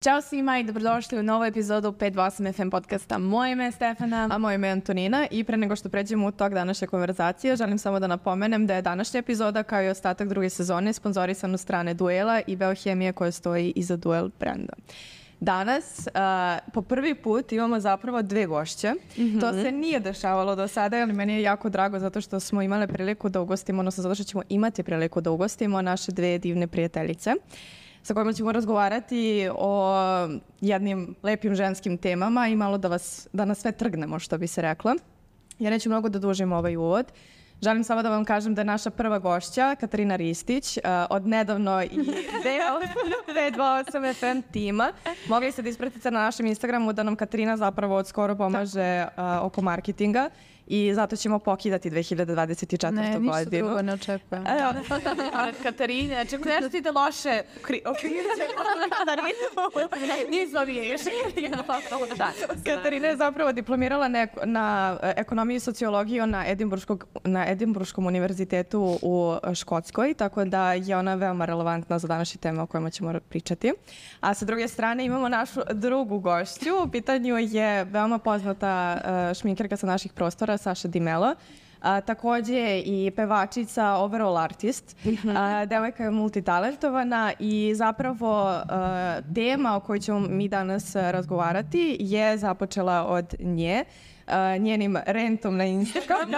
Ćao svima i dobrodošli u novu epizodu 528 FM podcasta. Moje ime je Stefana. A moje ime je Antonina i pre nego što pređemo u tok današnje konverzacije, želim samo da napomenem da je današnja epizoda kao i ostatak druge sezone sponzorisan od strane Duela i Beohemije koja stoji iza Duel brenda. Danas po prvi put imamo zapravo dve gošće. To se nije dešavalo do sada, ali meni je jako drago zato što smo imale priliku da ugostimo, odnosno zato što ćemo imati priliku da ugostimo naše dve divne prijateljice sa kojima ćemo razgovarati o jednim lepim ženskim temama i malo da nas sve trgnemo, što bi se reklo. Ja neću mnogo da dužim ovaj uvod. Želim samo da vam kažem da je naša prva gošća, Katarina Ristić, od nedavno i deo 528 FM tima. Mogli ste da ispratite na našem Instagramu da nam Katarina zapravo od skoro pomaže oko marketinga i zato ćemo pokidati 2024. godinu. Ne, ništa drugo ne očekujem. Katarina, čekaj, nešto ti da loše Katarina je zapravo diplomirala na ekonomiju i sociologiju na Edinburškom univerzitetu u Škotskoj, tako da je ona veoma relevantna za današnje teme o kojima ćemo pričati. A sa druge strane imamo našu drugu gošću. U pitanju je veoma poznata šminkerka sa naših prostora, Saša Di Mello. Takođe i pevačica, overall artist. Devojka je multitalentovana i zapravo tema o kojoj ćemo mi danas razgovarati je započela od nje. Njenim rentom na Instagram.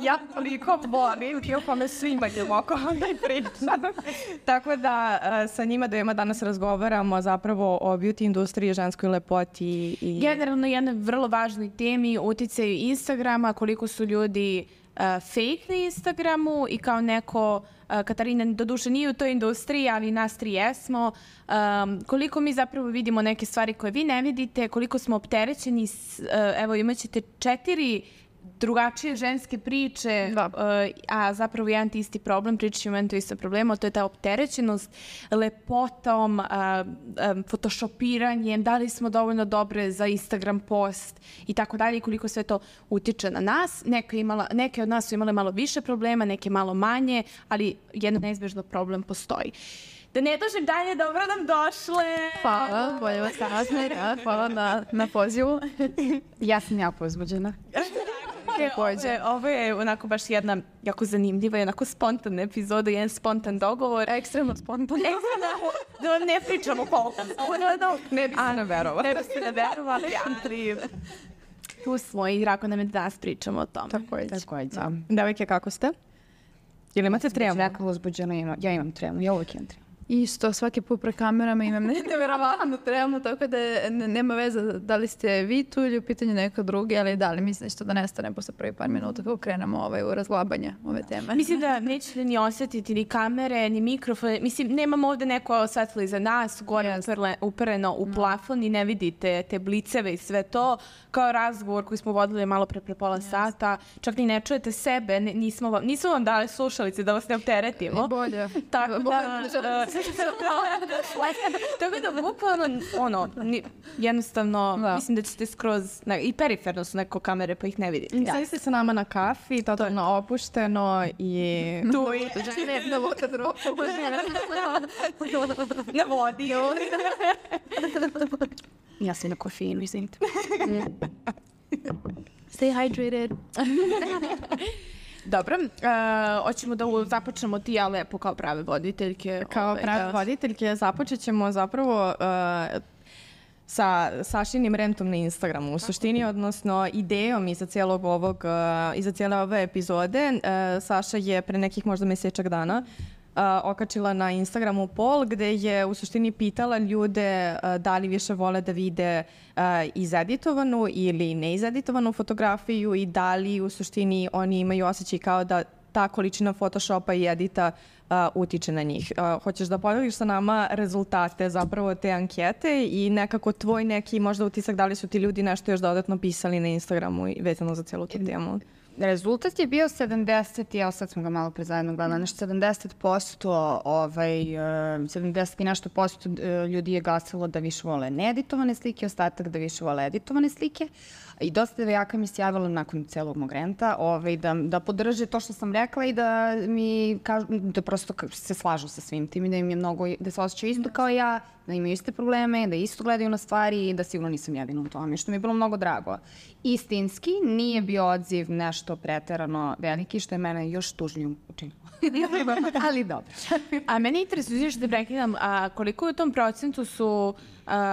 Ja toliko volim i o kome svima idemo oko ovdje pričam. Tako da sa njima dvema danas razgovaramo zapravo o beauty industriji, ženskoj lepoti. Generalno jednoj vrlo važnoj temi, uticaju Instagrama, koliko su ljudi fake na Instagramu i kao neko, Katarina doduše nije u toj industriji, ali nas tri jesmo, koliko mi zapravo vidimo neke stvari koje vi ne vidite, koliko smo opterećeni, evo imat ćete 4 drugačije ženske priče, a zapravo jedan ti isti problem, pričat ćemo jedan to isto problema, to je ta opterećenost lepotom, photoshopiranjem, da li smo dovoljno dobre za Instagram post i tako dalje i koliko sve to utiče na nas. Neke od nas su imale malo više problema, neke malo manje, ali jedan neizbežno problem postoji. Da ne dužim dalje, dobro nam došle. Hvala, bolje vas saznati. Hvala na pozivu. Ja sam jako uzbuđena. Ovo je onako baš jedna jako zanimljiva i onako spontana epizoda, jedan spontan dogovor. Ekstremno spontan. Da ne pričamo koliko. Ne bi se naverovali. Ne bi se naverovali, ali tu smo i drago nam je da danas pričamo o tom. Takođe. Devojke, kako ste? Ili imate tremu? Jako uzbuđena, ja imam tremu, ja uvijek imam tremu. Isto, svaki put pre kamerama imam nevjerovatno tremu, tako da nema veze da li ste vi tu ili u pitanju neko drugi, ali da li mislim što da nestane posle prvi par minuta kako krenemo u razglabanje ove teme. Mislim da nećete ni osjetiti ni kamere, ni mikrofone. Mislim, nemamo ovde neko osvetlo iza nas, gore upereno u plafon i ne vidite te bliceve i sve to. Kao razgovor koji smo vodili malo pre pola sata. Čak ni ne čujete sebe, nismo vam dali slušalice da vas ne opteretimo. Bolje. Tako da bukvalno jednostavno mislim da ćete skroz i periferno su neko kamere pa ih ne vidite. Sada ste sa nama na kafi, totalno opušteno i tu je na vodi. Ja sam na kofeinu, izvinite. Stay hydrated. Dobro, hoćemo da započnemo ti, ja lepo kao prave voditeljke. Kao prave voditeljke započet ćemo zapravo sa Sašinim rentom na Instagramu. U suštini, odnosno idejom iza cijele ove epizode, Saša je pre nekih možda mesečak dana okačila na Instagramu poll gde je u suštini pitala ljude da li više vole da vide izeditovanu ili neizeditovanu fotografiju i da li u suštini oni imaju osjećaj kao da ta količina Photoshopa i edita utiče na njih. Hoćeš da podeliš sa nama rezultate zapravo te ankete i nekako tvoj neki možda utisak da li su ti ljudi nešto još dodatno pisali na Instagramu i vezano za celu tu temu? Rezultat je bio 70, evo sad smo ga malo pre zajedno gledali, nešto 70%, 70 i nešto posto ljudi je glasilo da više vole needitovane slike, ostatak da više vole editovane slike. I dosta devojaka mi se javilo nakon celog mog renta da podrže to što sam rekla i da mi kažu, da prosto se slažu sa svim tim i da im je mnogo, da se osjećaju isto kao ja, da imaju iste probleme, da isto gledaju na stvari i da sigurno nisam jedina u tome, što mi je bilo mnogo drago. Istinski nije bio odziv nešto preterano veliki, što je mene još tužnijom učinilo. Ali dobro. A meni interesuje što te prekidam, koliko u tom procentu su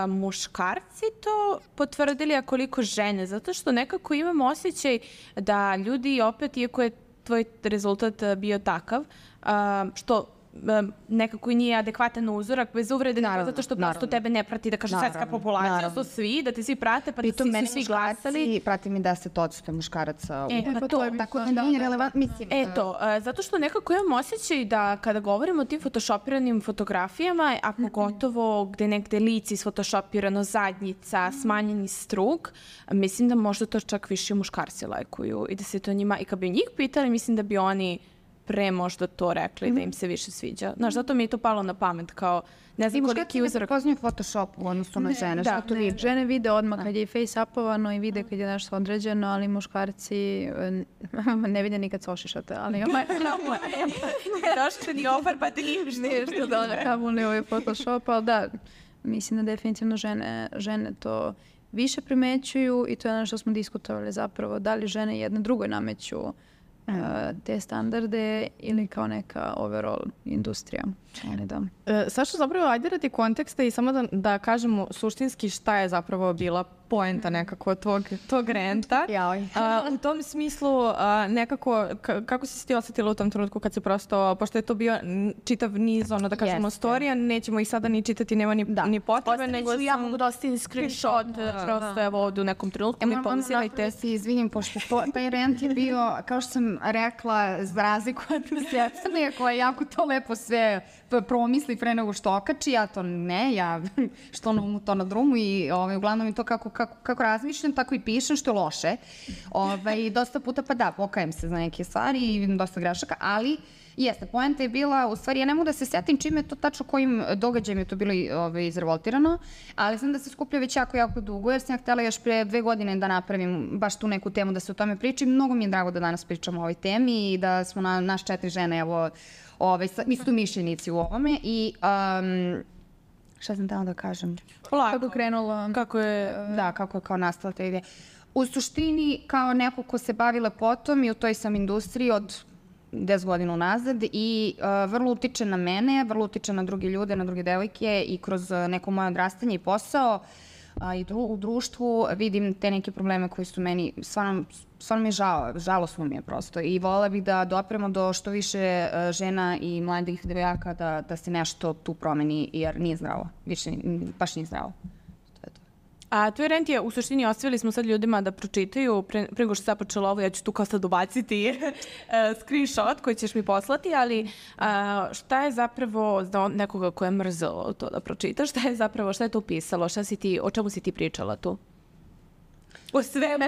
muškarci to potvrdili, a koliko žene? Zato što nekako imam osjećaj da ljudi opet, iako je tvoj rezultat bio takav, što nekako i nije adekvatan uzorak, bez uvrede, zato što prosto tebe ne prati, da kažem, svetska populacija, to svi, da te svi prate, pa da su svi glasali. Prati mi 10% muškaraca. Pa to je tako da nije relevantno, mislim. Eto, zato što nekako imam osjećaj da kada govorimo o tim photoshopiranim fotografijama, a pogotovo gde negde lice isfotoshopirano, zadnjica, smanjeni struk, mislim da možda to čak više muškarci lajkuju i da se to njima, i kad bi njih pitali, mislim da bi oni pre možda to rekli da im se više sviđa. Znaš, zato mi je to palo na pamet, kao ne znam koliki uzorak. I muškarci ne Photoshop u odnosu na žene. Žene vide odmah kad je face-upovano i vide kad je nešto određeno, ali muškarci ne vide nikad se ošišate. Ali došli ni ofarbate nešto da kamuli ovaj Photoshop, ali da, mislim da definitivno žene to više primećuju i to je ono što smo diskutovali zapravo, da li žene jedna drugoj nameću te standarde ili kao neka overall industrija. Saša, zapravo, ajde radi konteksta i samo da kažemo suštinski šta je zapravo bila poenta nekako tog renta. U tom smislu, nekako, kako si ti osjetila u tom trenutku kad se prosto, pošto je to bio čitav niz, da kažemo, storija, nećemo ih sada ni čitati, nema ni potrebe, nego ja mogu da ostavim screenshot, prosto evo ovdje u nekom trenutku mi pauzirajte. Moram da se izvinim, pošto taj rent je bio, kao što sam rekla, za razliku od Stefane, koja jako to lepo sve promisli pre nego što okači, ja to ne, ja što na umu, to na drumu i uglavnom je to kako razmišljam, tako i pišem, što je loše. Dosta puta pa da, pokajem se za neke stvari i dosta grešaka, ali jeste, poenta je bila, u stvari ja ne mogu da se setim čime je to tačno, kojim događajem je to bilo izrevoltirano, ali znam da se skuplja već jako dugo, jer sam ja htjela još pre 2 godine da napravim baš tu neku temu da se o tome priča i mnogo mi je drago da danas pričamo o ovoj temi i da smo naš 4 žene, evo, istomišljenici u ovome i šta sam tamo da kažem? Kako krenulo? Kako je kao nastala ta ideja. U suštini, kao neko ko se bavi lepotom i u toj sam industriji od 10 godina unazad i vrlo utiče na mene, vrlo utiče na druge ljude, na druge devojke i kroz neko moje odrastanje i posao i u društvu vidim te neke probleme koji su meni, stvarno mi je žalosno mi je prosto i volela bih da dopremo do što više žena i mladih devojaka da se nešto tu promeni jer nije zdravo, više baš nije zdravo. A tvoj rent je, u suštini, ostavili smo sad ljudima da pročitaju, pre nego što se započelo ovo, ja ću tu kao sad ubaciti screenshot koji ćeš mi poslati, ali šta je zapravo za nekoga ko je mrzelo to da pročitaš, šta je to pisalo, o čemu si ti pričala tu? O svemu.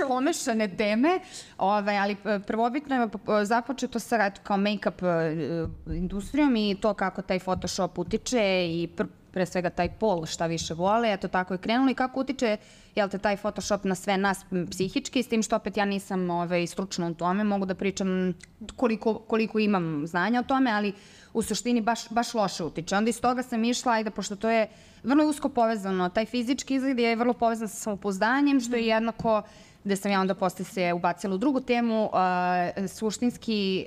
Omešane teme, ali prvobitno je započeto sa kao make-up industrijom i to kako taj Photoshop utiče i pre svega taj pol šta više vole, eto tako je krenulo i kako utiče taj Photoshop na sve nas psihički, s tim što opet ja nisam stručna u tome, mogu da pričam koliko imam znanja o tome, ali u suštini baš loše utiče. Onda iz toga sam išla, pošto to je vrlo usko povezano, taj fizički izgled je vrlo povezan sa samopouzdanjem, što je jednako gde sam ja onda posle se ubacila u drugu temu, suštinski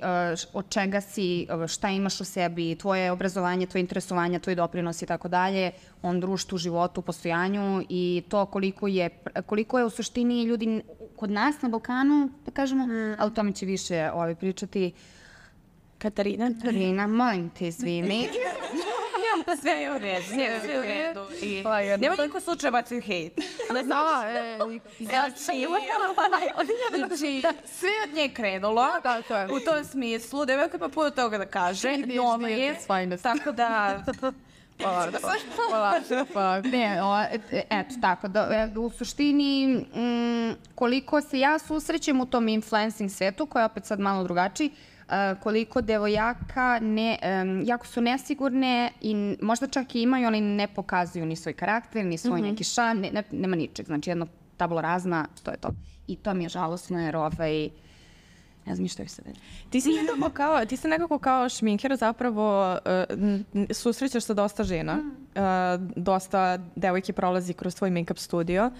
od čega si, šta imaš u sebi, tvoje obrazovanje, tvoje interesovanje, tvoj doprinos i tako dalje, on društvu, životu, postojanju i to koliko je u suštini ljudi kod nas na Balkanu, da kažemo, ali o tome će više pričati Katarina, molim te, izvini. Sve je u redu, sve je u redu. Nema niko slučaja bacaju hejt. Sve od nje krenulo, u tom smislu, devojka pa puno toga da kaže, tako da Eto, tako da u suštini koliko se ja susrećem u tom influencing svetu, koji je opet sad malo drugačiji, koliko devojaka jako su nesigurne i možda čak i imaju, ali ne pokazuju ni svoj karakter, ni svoj neki šan, nema ničeg, znači jedno tabula razna, to je to. I to mi je žalosno jer ne znam što je sad. Ti si nekako kao šminker zapravo susrećeš sa dosta žena. Dosta devojke prolazi kroz tvoj make-up studio.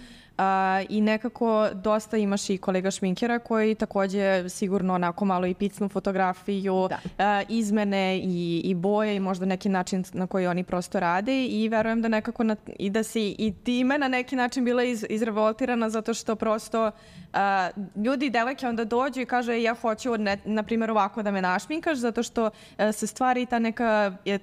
I nekako dosta imaš i kolega šminkera koji takođe sigurno onako malo i picnu fotografiju, izmene i boje i možda neki način na koji oni prosto rade i verujem da nekako i da si i time na neki način bila izrevoltirana zato što prosto ljudi i devojke onda dođu i kaže ja hoću na primjer ovako da me našminkaš zato što se stvari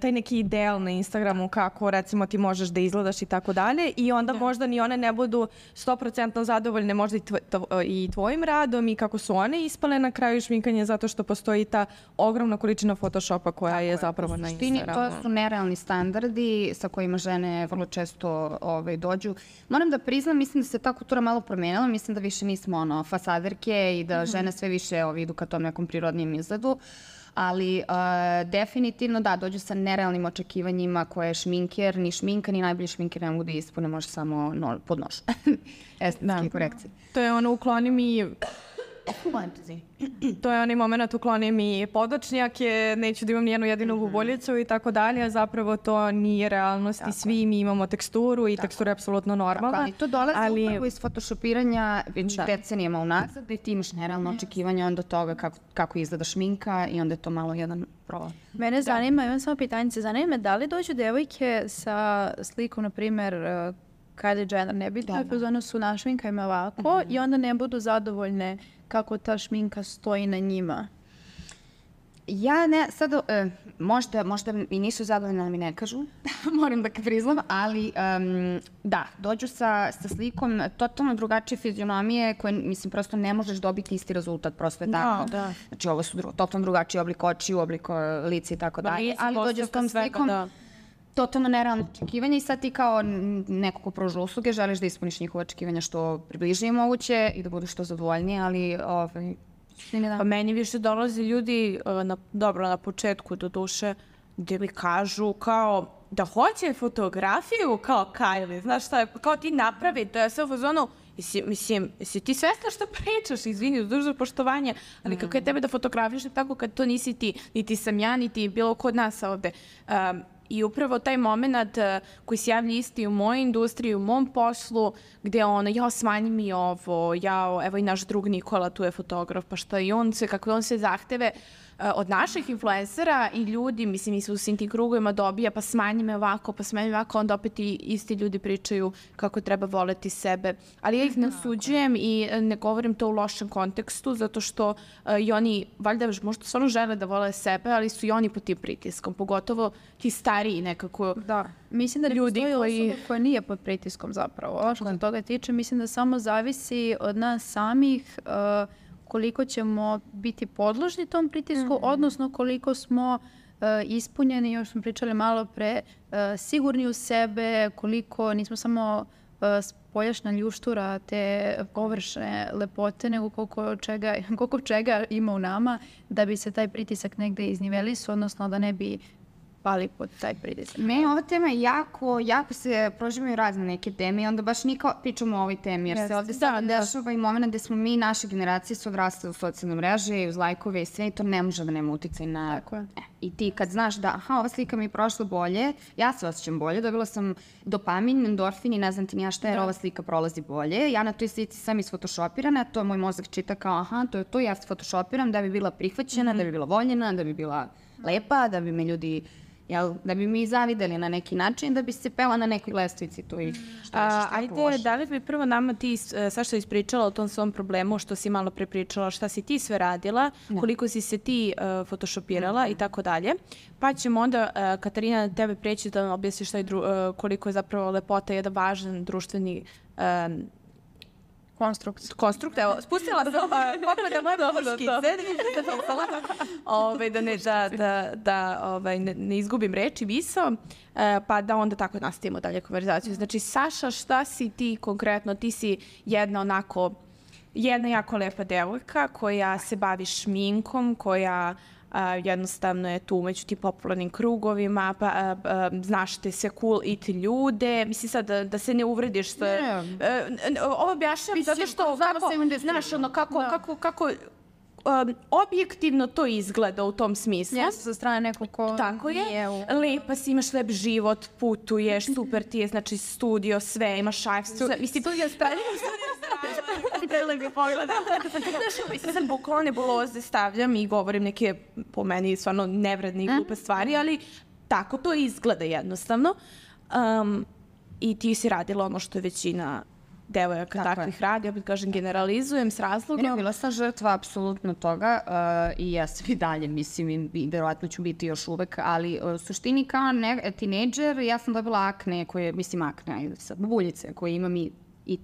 taj neki ideal na Instagramu kako recimo ti možeš da izgledaš i tako dalje i onda možda ni one ne budu 100% zadovoljne možda i tvojim radom i kako su one ispale na kraju šminkanje zato što postoji ta ogromna količina Photoshopa koja je zapravo na Instagramu. To su nerealni standardi sa kojima žene vrlo često dođu. Moram da priznam, mislim da se ta kultura malo promenila, mislim da više nismo fasaderke i da žene sve više idu ka tom nekom prirodnijem izgledu. Ali definitivno da, dođu sa nerealnim očekivanjima koje šminker, ni šminka, ni najbolji šminker ne mogu da ispune, može samo pod nož. Estetske korekcije. To je ono ukloni mi... To je onaj moment ukloni mi podočnjake, neću da imam nijednu jedinu guboljicu i tako dalje, a zapravo to nije realnost i svi mi imamo teksturu i tekstura je apsolutno normalna. Ali to dolazi upravo iz photoshopiranja već decenijama unazad gde ti imaš nerealno očekivanja onda toga kako izgleda šminka i onda je to malo jedan problem. Mene zanima, imam samo pitanje, zanima me da li dođu devojke sa slikom, na primer, Kylie Jenner, nebitno je pozorno su našminkajme ovako i onda ne budu zadovoljne kako ta šminka stoji na njima. Ja ne, sad, možda i nisu zadovoljne, mi ne kažu, moram da priznam, ali da, dođu sa slikom totalno drugačije fizionomije koje, mislim, prosto ne možeš dobiti isti rezultat, prosto je tako. Znači, ovo su totalno drugačiji oblik očiju, oblik lica i tako dalje, ali dođu s tom slikom totalno nerealno očekivanje i sad ti kao neko ko pruža usluge želiš da ispuniš njihove očekivanja što približnije moguće i da budu što zadovoljnije, ali Pa meni više dolaze ljudi, na početku do duše, gde mi kažu kao da hoće fotografiju kao Kylie, znaš šta je, kao ti napravi, to je sve u fazonu, mislim, jesi ti svesna što pričaš, izvini, uz dužno poštovanje, ali kako je tebe da fotografiš tako kad to nisi ti, niti sam ja, niti bilo ko od nas ovde. I upravo taj moment koji se javlja isti u mojoj industriji, u mom poslu, gde smanji mi ovo, evo i naš drug Nikola, tu je fotograf, pa šta i kakve on se zahteve od naših influencera i ljudi, mislim, mi se u svim tim krugovima dobija, pa smanji me ovako, onda opet i isti ljudi pričaju kako treba voleti sebe. Ali ja ih ne osuđujem i ne govorim to u lošem kontekstu, zato što i oni, valjda, možda stvarno žele da vole sebe, ali su i oni pod tim pritiskom, pogotovo ti stariji nekako. Da, mislim da ljudi osoba koja nije pod pritiskom zapravo. Što se toga tiče, mislim da samo zavisi od nas samih koliko ćemo biti podložni tom pritisku, odnosno koliko smo ispunjeni, još smo pričali malo pre, sigurni u sebe, koliko nismo samo spoljašnja ljuštura te površne lepote, nego koliko čega ima u nama da bi se taj pritisak negde iznivelisao, odnosno da ne bi pali pod taj pritisak. Meni ova tema je jako se proživaju razne neke teme i onda baš nikao pričamo o ovoj temi, jer se ovde sad dešava i moment gde smo mi, naše generacije su odrasle u socijalne mreže i uz lajkove i sve i to ne može da nema uticaj na... I ti kad znaš da, ova slika mi je prošla bolje, ja se osjećam bolje, dobila sam dopamin, endorfin i ne znam ti ni ja šta jer ova slika prolazi bolje. Ja na toj slici sam isfotošopirana, to moj mozak čita kao to je to, ja se fotoshopiram da bi bila prihvaćena, da bi bila voljena, da bi bila lepa, da bi me ljudi... da bi mi zavideli na neki način, da bi se pela na nekoj lestvici tu i Ajde, da li bi prvo nama ti Saša ispričala o tom svom problemu, što si malo prepričala, šta si ti sve radila, koliko si se ti photoshopirala i tako dalje. Pa ćemo onda, Katarina, tebe preći da nam objasniš koliko je zapravo lepota jedan važan društveni Konstrukt, evo, spustila sam pogleda moje poškice, da ne izgubim reči misao, pa da onda tako nastavimo dalje konverzaciju. Znači, Saša, šta si ti konkretno? Ti si jedna jako lepa devojka koja se bavi šminkom, koja jednostavno je tu među ti popularnim krugovima, znaš te sve cool it ljude. Mislim sad da se ne uvrediš. Ovo objašnjam zato što znaš ono kako objektivno to izgleda u tom smislu. Jeste sa strane nekog ko... Tako je. Lepa si, imaš lep život, putuješ, super ti je, znači studio, sve, imaš šajf. Studio stavljam. Prelepi pogled. Znaš, sad bukvalno nebuloze stavljam i govorim neke, po meni, stvarno nevredne i glupe stvari, ali tako to izgleda jednostavno. I ti si radila ono što je većina devojaka takvih radi, opet kažem, generalizujem s razlogom. Ne, bila sam žrtva apsolutno toga i ja sam i dalje, mislim, i verovatno ću biti još uvek, ali u suštini kao tinejdžer ja sam dobila akne, buljice koje imam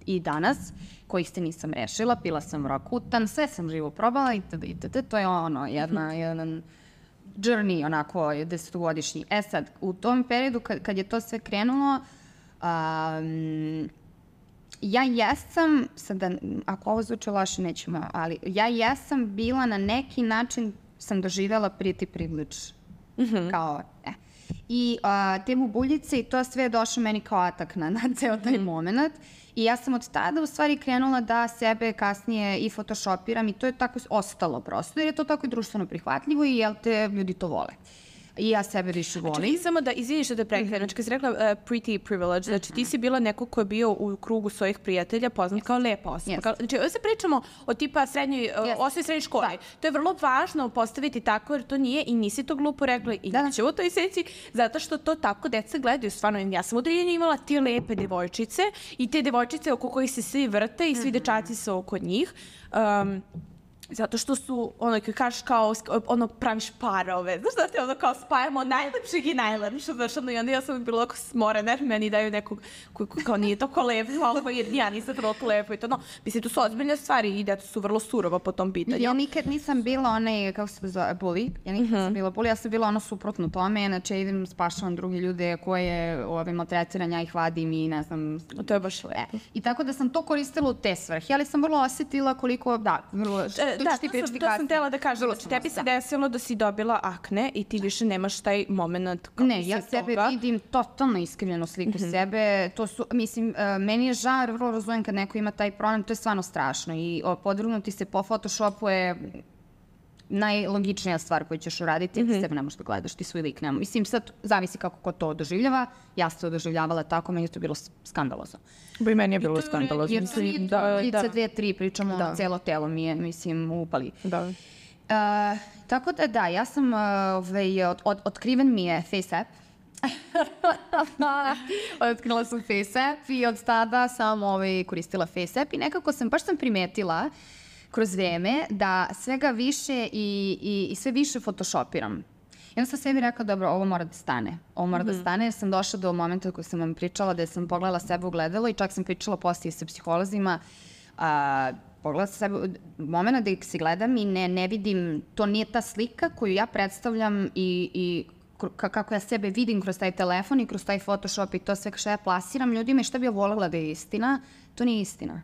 i danas, kojih se nisam rešila, pila sam Roacutan, sve sam živo probala itd. To je ono, jedan journey, onako, 10-godišnji. Sad, u tom periodu kad je to sve krenulo, ja jesam, sada, ako ovo zvuče loše, nećemo, ali ja jesam bila na neki način, sam doživjela pretty privilege. Kao, I te bubuljice i to sve je došlo meni kao atak na ceo taj moment. I ja sam od tada u stvari krenula da sebe kasnije i photoshopiram i to je tako ostalo prosto, jer je to tako i društveno prihvatljivo i jel te ljudi to vole. I ja sebe više volim. Čekaj, samo da izviniš da prekrenem. Znači, kad si rekla pretty privilege, znači ti si bila neko ko je bio u krugu svojih prijatelja poznat kao lepa osoba. Znači, ovdje se pričamo o tipa osnovnoj srednjoj školi. To je vrlo važno postaviti tako, jer to nije i nisi to glupo rekla i neće u toj seci, zato što to tako deca gledaju. Stvarno, ja sam u deljenju imala te lepe devojčice i te devojčice oko kojih se svi vrte i svi dečaci su oko njih. Zato što su, ono, kad kažeš kao, ono, praviš parove, znaš da te ono kao spajamo najlepšeg i najlepšeg, znaš, ono, i onda ja sam bila oko smorena, jer meni daju nekog koji kao nije toliko lepo, jer ja nisam toliko lepo i to, no, mislim, tu su ozbiljne stvari i deca su vrlo surova po tom pitanju. Ja nikad nisam bila onaj, kako se zove, bully, ja nikad nisam bila bully, ja sam bila ono suprotno tome, znači idem spašavam drugi ljude koje maltretiram, ja ih vadim i ne znam. To je baš lepo. I tako da sam to koristila u te svrhe, ali sam vrlo osjetila koliko, to sam htjela da kažem, znači tebi se desilo da si dobila akne i ti više nemaš taj moment. Ne, ja sebe vidim totalno iskrivljenu sliku sebe, to su, mislim, meni je žar, vrlo razumem kad neko ima taj problem, to je stvarno strašno i podvrgnuti se po Photoshopu je najlogičnija stvar koju ćeš uraditi, ti sebe ne možeš da gledaš, ti svoj lik nema. Mislim, sad zavisi kako ko to doživljava, ja sam to doživljavala tako, meni je to bilo skandalozno. Bo i meni je bilo skandalozno. Jer lica 2-3 pričamo, celo telo mi je, mislim, upali. Da. Tako da, ja sam, otkriven mi je FaceApp. Otkrila sam FaceApp i od tada sam koristila FaceApp i nekako baš sam primetila kroz vreme da svega više i sve više photoshopiram. I onda sam sebi rekla, dobro, ovo mora da stane. Ovo mora da stane jer sam došla do momenta koji sam vam pričala da sam pogledala sebe u gledalo i čak sam pričala poslije sa psiholozima. Pogledala sam sebe, momenta da se gledam i ne vidim, to nije ta slika koju ja predstavljam i kako ja sebe vidim kroz taj telefon i kroz taj Photoshop i to sve što ja plasiram ljudima i što bi ja voljela da je istina, to nije istina.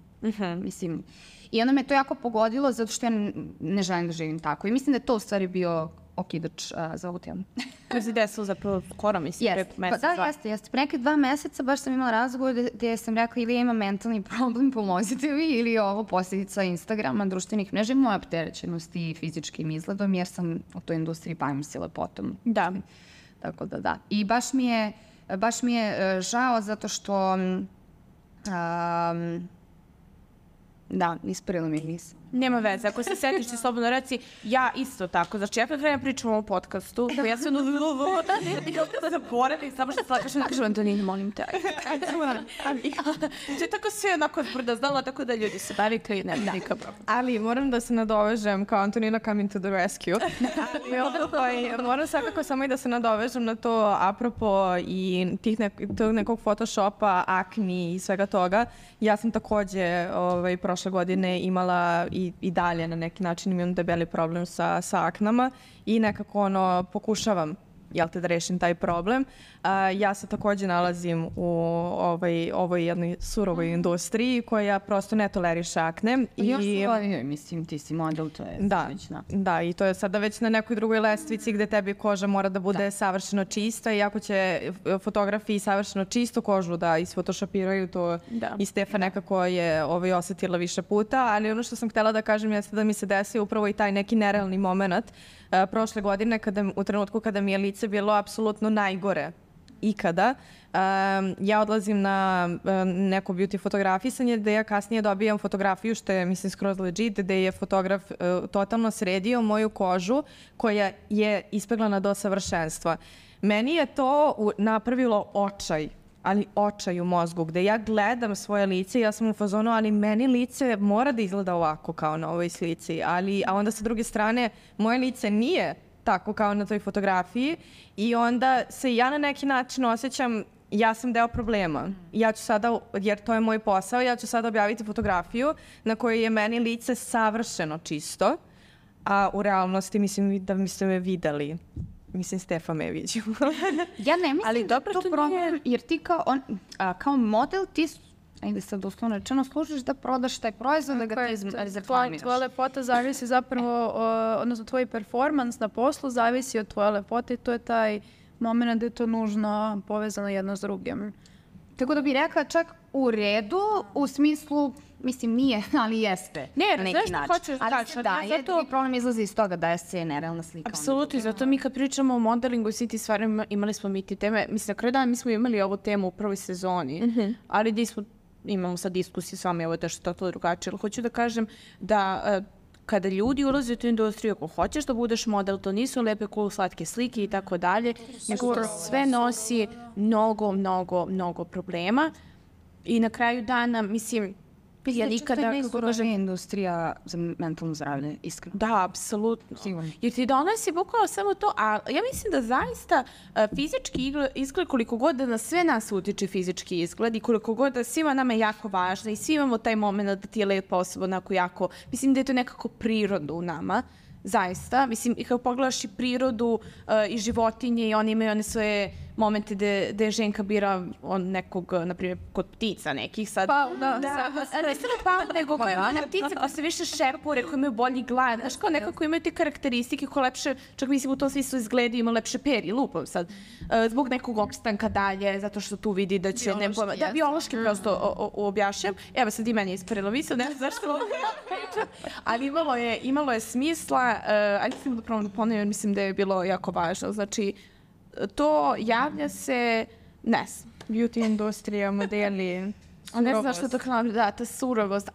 Mislim, i onda me to jako pogodilo zato što ja ne želim da živim tako. I mislim da je to u stvari bio okidač za ovu temu. To se desilo zapravo skoro, mislim, preko meseca. Da, jeste. Preko 2 meseca baš sam imala razgovor gdje sam rekla ili ja imam mentalni problem, pomozite mi, ili je ovo posljedica Instagrama, društvenih mreža i moja opterećenost i fizičkim izgledom, jer sam u toj industriji bavim se lepotom. Da. Tako da. I baš mi je žao zato što da, isparila mi nisam. Nema veze, ako se setiš ti slobodno reci, ja isto tako, znači ja kada pričam o podcastu, ja sam i da zaboravim, samo što se kažem, Antonina, molim te, to je tako sve onako zbrda znala, tako da ljudi se navikli i nema nikak problem. Ali moram da se nadovežem kao Antonina coming to the rescue. Moram svakako samo i da se nadovežem na to apropo i tog nekog Photoshopa, akni i svega toga. Ja sam takođe prošle godine imala i dalje na neki način imam debeli problem sa aknama i nekako pokušavam da rešim taj problem. Ja se takođe nalazim u ovoj jednoj surovoj industriji koja prosto ne toleriše akne. Mislim, ti si model, to je slično. Da, i to je sada već na nekoj drugoj lestvici gde tebi koža mora da bude savršeno čista i ako će fotografi savršeno čistu kožu da isfotošopiraju, to i Stefa nekako je osetila više puta, ali ono što sam htela da kažem jeste da mi se desio upravo i taj neki nerealni moment prošle godine u trenutku kada mi je lice bilo apsolutno najgore ikada. Ja odlazim na neko beauty fotografisanje gde ja kasnije dobijam fotografiju što je mislim skroz legit, gde je fotograf totalno sredio moju kožu koja je ispeglana do savršenstva. Meni je to napravilo očaj u mozgu, gde ja gledam svoje lice i ja sam u fazonu, ali meni lice mora da izgleda ovako kao na ovoj slici, a onda sa druge strane moje lice nije tako kao na toj fotografiji i onda se ja na neki način osjećam, ja sam deo problema. Ja ću sada, jer to je moj posao, ja ću sada objaviti fotografiju na kojoj je meni lice savršeno čisto, a u realnosti mislim da ste me videli. Mislim, Stefa me viđu. Ja ne mislim da to problem, jer ti kao model, ti ajde sad uslovno rečeno, služiš da prodaš taj proizvod, da ga ti reklamiraš. Tvoja lepota zavisi zapravo, odnosno tvoj performans na poslu zavisi od tvoje lepote i to je taj moment da je to nužno povezano jedno s drugim. Tako da bih rekla čak u redu, u smislu, mislim nije, ali jeste. Ne, znaš što hoćeš da kažeš? Zato problem izlazi iz toga da je nerealna slika. Apsolutno, zato mi kad pričamo o modelingu i svi ti stvari, imali smo mi ti teme, mislim na kraju dana mi smo imali ovu temu u prvoj sezoni, ali imamo sad diskusiju s vama, ovo je to što je totalno drugačije, ali hoću da kažem da kada ljudi ulaze u tu industriju, ako hoćeš da budeš model, to nisu lepe, cool, slatke slike i tako dalje, nego sve nosi mnogo problema i na kraju dana, mislim, ja nikada... To je najsloženija industrija za mentalno zdravlje, iskreno. Da, apsolutno. Jer ti donosi bukvalno samo to, a ja mislim da zaista fizički izgled, koliko god da na sve nas utiče fizički izgled i koliko god da svima nama je jako važno i svi imamo taj moment da ti je lepa osoba onako jako, mislim da je to nekako prirodno u nama. Zaista, mislim, i kada pogledaš i prirodu i životinje i oni imaju one svoje momente gde ženka bira nekog, na primjer, kod ptica nekih sad. Ne samo nego koje one ptice koje se više šepure, koje imaju bolji glad, znaš, kao nekako imaju te karakteristike koje lepše, čak mislim u tom smislu izgledaju, ima lepše peri, lupom sad, zbog nekog opstanka dalje, zato što tu vidi da će... biološki prosto objašnjam. Evo sad i meni je isparilo misao, ne znam zašto. Ali imalo je smisla, ali sam da ponovim, mislim da je bilo jako važno. Znači, to javlja se, ne znam, beauty industrija, modeli, a ne znam što to kao, ta surovost.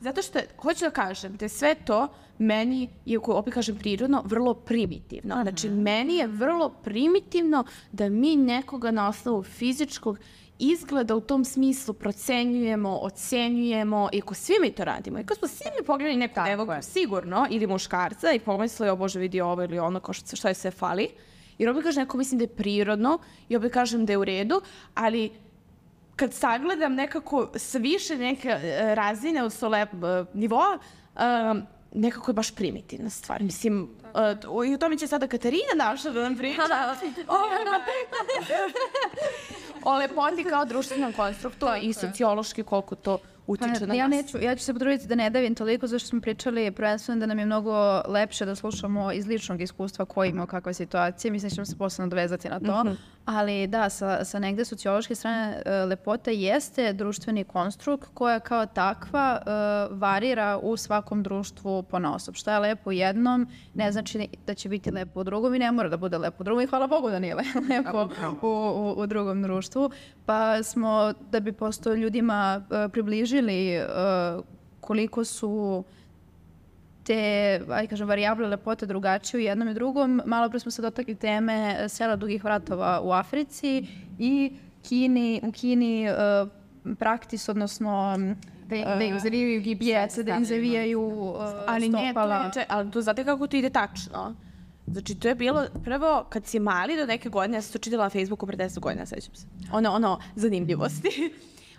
Zato što, hoću da kažem, da je sve to meni, iako opet kažem prirodno, vrlo primitivno. Znači, meni je vrlo primitivno da mi nekoga na osnovu fizičkog izgleda u tom smislu procenjujemo, ocenjujemo, i ako svi mi to radimo, i ako smo svi mi pogledali nekog devojku, sigurno, ili muškarca, i pomislili, o Bože, vidi ovo ili ono, što je sve fali, jer opet kažem, neko mislim da je prirodno, i opet kažem da je u redu, ali kad sagledam nekako s više neke razine od nivoa, nekako je baš primitivna stvar. Mislim, i u tome će sada Katarina naša da nam priča. O lepoti kao društvenom konstruktu i sociološki koliko to utiče na nas. Ja ću se potruditi da ne davim toliko, zašto smo pričali prvenstveno da nam je mnogo lepše da slušamo iz ličnog iskustva ko ima kakve situacije. Mislim da ćemo se posebno dovezati na to. Ali da, sa negde sociološke strane lepota jeste društveni konstrukt koja kao takva varira u svakom društvu ponaosob. Šta je lepo u jednom ne znači da će biti lepo u drugom i ne mora da bude lepo u drugom i hvala Bogu da nije lepo u drugom društvu. Pa smo, da bi posto ljudima približili koliko su te, varijable lepote drugačije u jednom i drugom. Malo pre smo se dotakli teme sela dugih vratova u Africi i u Kini praktis, odnosno da im zavijaju gips. Da im zavijaju stopala. Ali to znate kako to ide tačno? Znači, to je bilo prvo, kad si mali do neke godine, ja sam to čitala na Facebooku pre 10 godina, sećam se. Ono, zanimljivosti.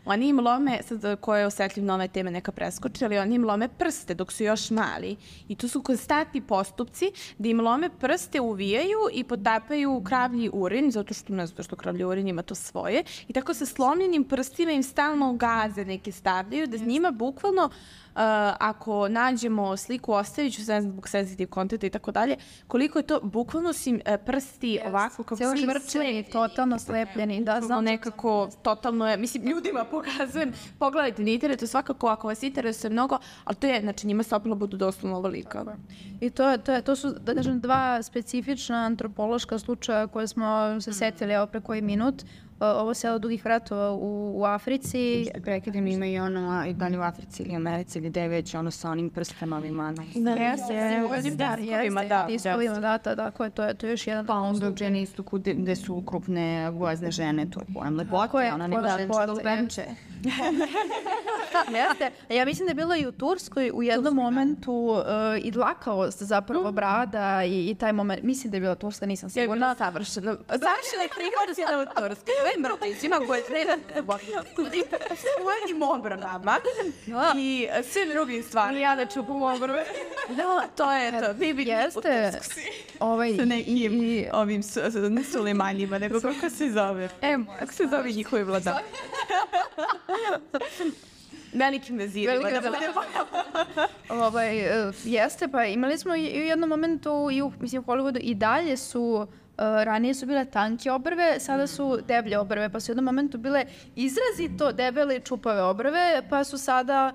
Oni im lome, sad ko je osetljiv na ove teme neka preskoči, ali oni im lome prste dok su još mali. I to su konstantni postupci da im lome prste, uvijaju i potapaju kravlji urin, zato što kravlji urin ima to svoje. I tako sa slomljenim prstima im stalno gaze neke stavljaju, da njima bukvalno ako nađemo sliku, ostavit ću se zbog sensitive contenta i tako dalje, koliko je to, bukvalno su im prsti ovako kao cijelo mrčeni, totalno slepljeni, da, znam. Nekako, totalno je, mislim, ljudima pokazujem, pogledajte na internetu, svakako ako vas interesuje mnogo, ali to je, znači njima stopila budu doslovno ovolika. I to su, da kažem, dva specifična antropološka slučaja koje smo se setili, evo pre koji minut. Ovo selo Dugih vratova u Africi. Prekidim, ima i ono, i dalje u Africi ili Americi ili gde već, ono sa onim prstima ima. Tako je, to je još jedan. Pa onda u žene istoku gde su krupne gozne žene, to je pojam lepote, ona nema ženča venče. Ja mislim da je bilo i u Turskoj u jednom momentu i dlakavost zapravo brada i taj moment, mislim da je bila Turska, nisam sigurna. Savršeno je prihvatila u Turskoj. Mrtvićima koje treba svojim obranama i svim drugim stvarima. Ja da čupam obrve. To je to. Jeste. Sa nekim ovim Sulejmanjima, nego kako se zove. Kako se zove njihovi vladar. Velikim vezirima. Jeste, pa imali smo i u jednom momentu i u Hollywoodu i dalje su ranije su bile tanke obrve, sada su deblje obrve, pa su u jednom momentu bile izrazito debele i čupave obrve, pa su sada,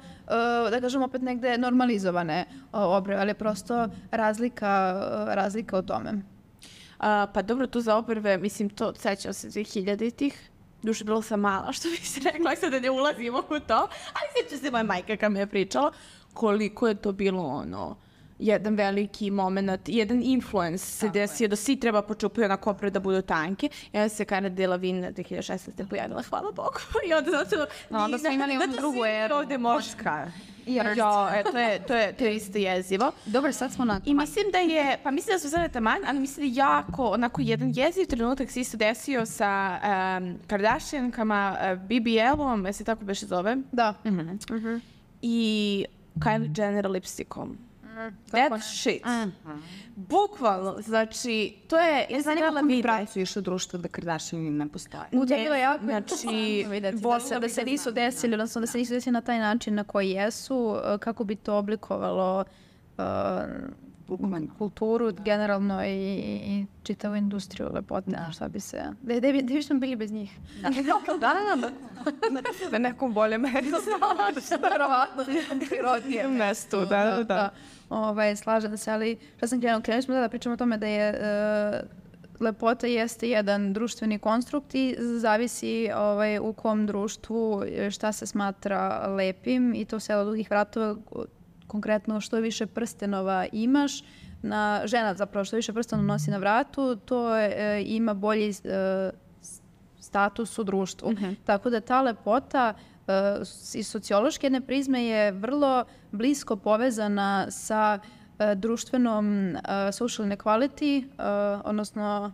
da kažem, opet negde normalizovane obrve, ali je prosto razlika u tome. Pa dobro, tu za obrve, mislim, to sećam se 2000-ih. Duše, bilo sam mala, što bi se rekla, sada ne ulazimo u to, ali sjeća se moja majka kad me je pričala koliko je to bilo jedan veliki moment, jedan influence se desio da svi treba počupaju onako opre da budu tanke. I onda se Cara Delevingne 2016. pojavila, hvala Bogu. I onda zato... Onda smo imali onu drugu eru. Ovde moška. To je isto jezivo. Dobro, sad smo na... I mislim da su sada taman, ali mislim da je jako, onako, jedan jeziv trenutak se isto desio sa Kardashiankama, BBL-om, se tako beše zove? Da. I Kylie Jenner lipstickom. That shit. Bukvalno, znači, to je... Ja znam kako mi pracuješ u društvu da Kardashian ne postoje. Bilo je jako da se nisu desili, odnosno da se nisu desili na taj način na koji jesu, kako bi to oblikovalo kulturu generalno i čitavu industriju lepote. Šta bi se... Gde bi smo bili bez njih? Na nekom boljem meri. Verovatno, prirodnijem mestu, da. Slažem se, ali šta sam krenuli smo da pričamo o tome da je lepota jeste jedan društveni konstrukt i zavisi u kom društvu šta se smatra lepim i to selo Dugih vratova, konkretno što više prstenova imaš, žena zapravo što više prstenova nosi na vratu, to ima bolji status u društvu. Tako da ta lepota iz sociološke jedne prizme je vrlo blisko povezana sa društvenom social inequality, odnosno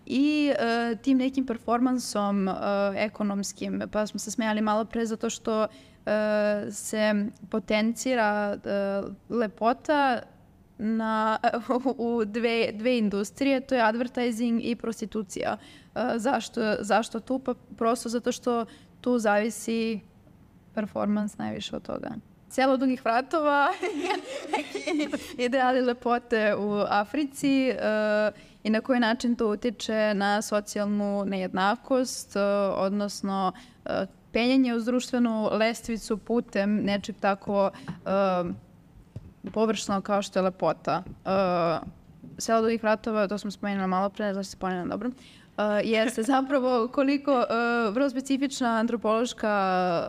i tim nekim performansom ekonomskim. Pa smo se smejali malo pre zato što se potencira lepota u dve industrije, to je advertising i prostitucija. Zašto tu? Pa prosto zato što tu zavisi performans najviše od toga. Selo Dugih vratova ideali lepote u Africi i na koji način to utiče na socijalnu nejednakost, odnosno penjanje uz društvenu lestvicu putem nečeg tako površno kao što je lepota. Selo Dugih vratova, to smo spomenuli malo pre, zašto se spomenuli dobro, jeste zapravo koliko vrlo specifična antropološka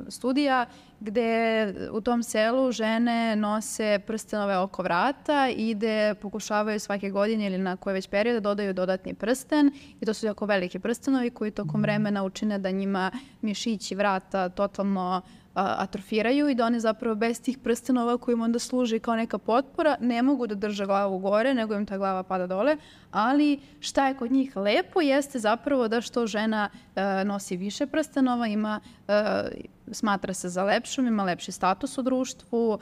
studija gde u tom selu žene nose prstenove oko vrata i gde pokušavaju svake godine ili na koje već periode dodaju dodatni prsten i to su jako veliki prstenovi koji tokom vremena učine da njima mišići vrata totalno atrofiraju i da one zapravo bez tih prstenova koji im onda služi kao neka potpora ne mogu da drže glavu gore, nego im ta glava pada dole. Ali šta je kod njih lepo jeste zapravo da što žena nosi više prstenova, smatra se za lepšom, ima lepši status u društvu,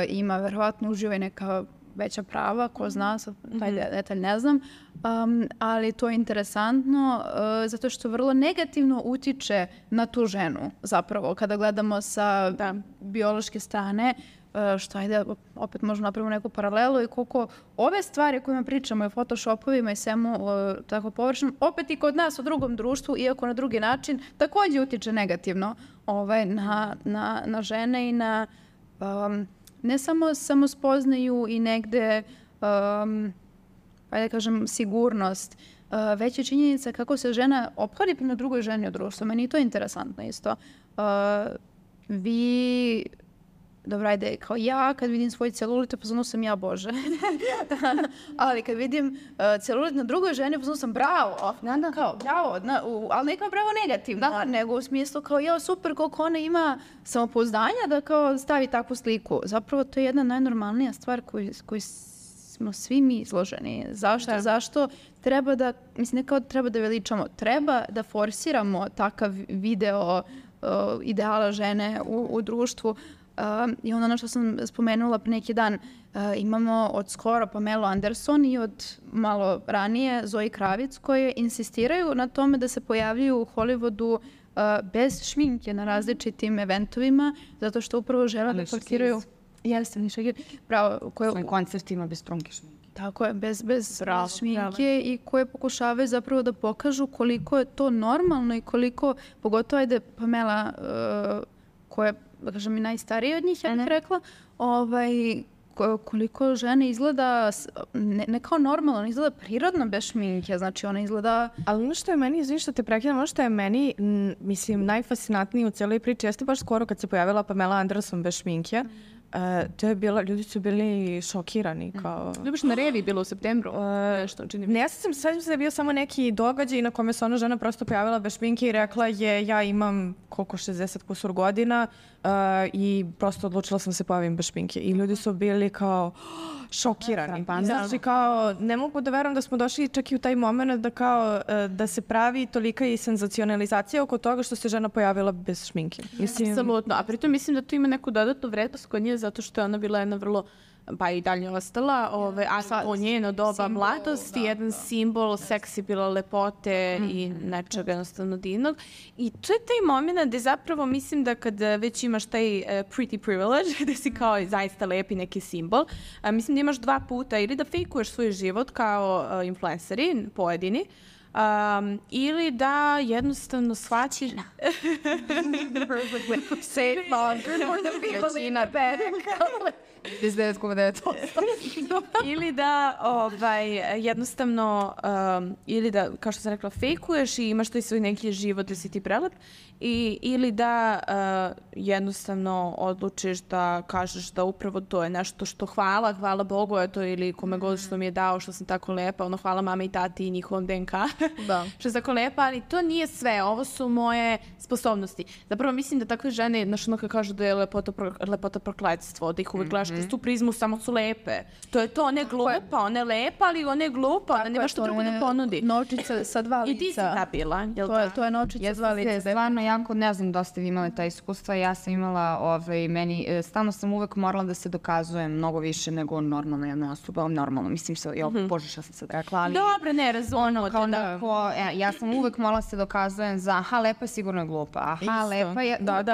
ima verovatno uživa i neka veća prava, ko zna, taj detalj ne znam, ali to je interesantno zato što vrlo negativno utiče na tu ženu zapravo kada gledamo sa biološke strane, što ajde, opet možemo napravimo neku paralelu i koliko ove stvari kojima pričamo i photoshopovima i svemu tako površno, opet i kod nas u drugom društvu, iako na drugi način, takođe utiče negativno na žene i na ne samo samospoznaju i negde, da kažem, sigurnost, već je činjenica kako se žena ophodi prema drugoj ženi u društvu. Meni je to interesantno isto. Dobro, ajde, kao ja, kad vidim svoj celulit, pozvano sam ja, Bože. Ali kad vidim celulit na drugoj ženi, pozvano sam bravo. Kao, bravo, ali nekako bravo negativno, nego u smislu kao, ja, super, koliko ona ima samopouzdanja da kao stavi takvu sliku. Zapravo, to je jedna najnormalnija stvar koju smo svi mi izloženi. Zašto? Zašto treba da, mislim, ne kao treba da veličamo, treba da forsiramo takav video ideala žene u društvu. I ono što sam spomenula pre neki dan, imamo od skoro Pamelu Anderson i od malo ranije Zoe Kravic koje insistiraju na tome da se pojavljuju u Hollywoodu bez šminke na različitim eventovima, zato što upravo žele da parkiraju... Jeste, bravo. Svojim koncertima bez trunke šminke. Tako je, bez šminke i koje pokušavaju zapravo da pokažu koliko je to normalno i koliko, pogotovo ajde Pamela, koja je, da kažem, i najstarija od njih, ja bih rekla, koliko žene izgleda, ne kao normalno, izgleda prirodno bez šminke, znači ona izgleda... Ali ono što je meni, izvini što te prekidam, ono što je meni, mislim, najfascinantnije u cijeloj priči, jeste baš skoro kad se pojavila Pamela Anderson bez šminke, to je bilo, ljudi su bili šokirani. Ljubiš na revi bilo u septembru. Ne, ja sam da je bio samo neki događaj na kome se ona žena prosto pojavila bez šminke i rekla je ja imam koliko 60 kusur godina i prosto odlučila sam se pojavim bez šminke. I ljudi su bili kao šokirani. Znači kao ne mogu da verujem da smo došli čak i u taj moment da kao da se pravi tolika i senzacionalizacija oko toga što se žena pojavila bez šminke. Apsolutno. A pritom mislim da to ima neku dodatnu vrednost kod nje zato što je ona bila jedna vrlo, pa i dalje ostala, a po njeno doba mladosti, jedan simbol seksi bila lepote i nečega jednostavno divnog. I to je taj moment gde zapravo mislim da kad već imaš taj pretty privilege, gde si kao zaista lepi neki simbol, mislim da imaš dva puta ili da fejkuješ svoj život kao influenceri, pojedini, ili da jednostavno shvaćiš ili da jednostavno ili da, kao što sam rekla, fejkuješ i imaš taj svoj neki život da si ti prelep ili da jednostavno odlučiš da kažeš da upravo to je nešto što hvala Bogu eto, ili kome god što mi je dao što sam tako lepa, ono hvala mama i tati i njihovom DNK što je tako lepa, ali to nije sve, ovo su moje sposobnosti. Zapravo mislim da takve žene, znaš ono kad kažu da je lepota prokletstvo, da ih uvek gledaš kroz tu prizmu, samo su lepe. To je to, ona je glupa, ona je lepa, ali ona je glupa, ona nema što drugo da ponudi. Novčica sa dva lica. I ti si ta bila, jel da? To je novčica sa dva lica. Stvarno, jako, ne znam da ste vi imali ta iskustva, ja sam imala, stalno sam uvek morala da se dokazujem mnogo više nego normalna jedna osoba, normalno, mislim se, bože šta sam sad rekla, ali... Dobre, ne, razumno. Ja sam uvek morala se dokazujem za, aha, lepa je sigurno je glupa, aha, lepa je... Da.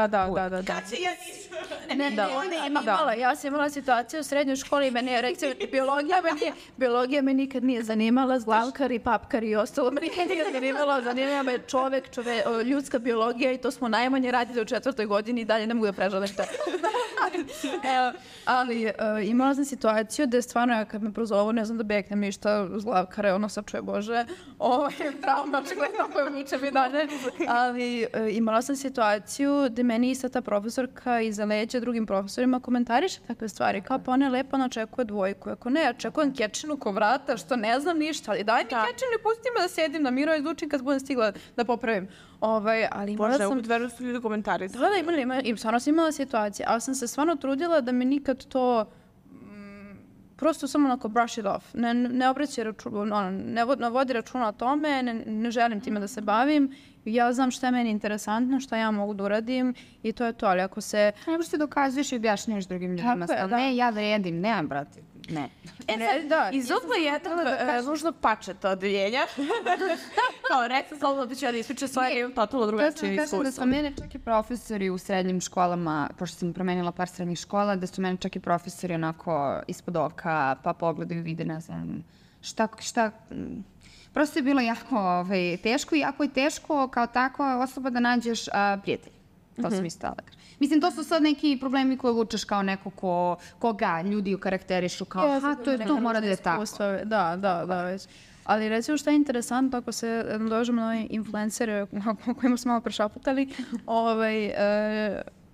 Ja sam imala situaciju u srednjoj školi i meni je rekcija biologija me nikad nije zanimala, zglavkari, papkari i ostalo me nikad nije zanimalo, zanimala me ljudska biologija i to smo najmanje radili u 4. godini i dalje ne mogu da prežalim to. Ali imala sam situaciju da je stvarno, ja kad me prozovu, ne znam da beknem ništa zglavkare, ono sad čuje Bože, trauma, očigledno koje muče mi dalje, ali imala sam situaciju da meni ista ta profesorka iza leđa drugim profesorima komentariše takve stvari, kao pa ona je lepa, ona očekuje dvojku, ako ne, očekujem kečinu ko vrata, što ne znam ništa, ali daj mi kečinu i pusti me da sedim na miru i izučim kad budem stigla da popravim. Ali imala sam... Možda verujem su ljudi komentari. Da, i stvarno sam imala situacije, ali sam se stvarno trudila da mi nikad to prosto samo onako brush it off. Ne obraćaj računa, ne vodi računa o tome, ne želim time da se bavim. Ja znam šta je meni interesantno, šta ja mogu da uradim i to je to, ali ako se... Nego što dokazuješ i objašnjaš drugim ljudima. Ne, ja vredim, nemam, brate, ne. Izuzla je nužnog pačeta odeljenja. Kao rekla sam da ću ja da ispričam svoje, imam totalno drugačije iskustvo. Da su mene čak i profesori u srednjim školama, pošto sam promenila par srednjih škola, da su mene čak i profesori onako ispod oka, pa pogledaju, vide, ne znam, šta... Prosto je bilo jako teško i jako je teško kao takva osoba da nađeš prijatelja. To sam isto da kažem. Mislim, to su sad neki problemi koje vučeš kao neko koga ljudi ukarakterišu kao to mora da je tako. Da, već. Ali recimo što je interesantno, ako se dođemo na ove influencere o kojima smo malo prešaputali,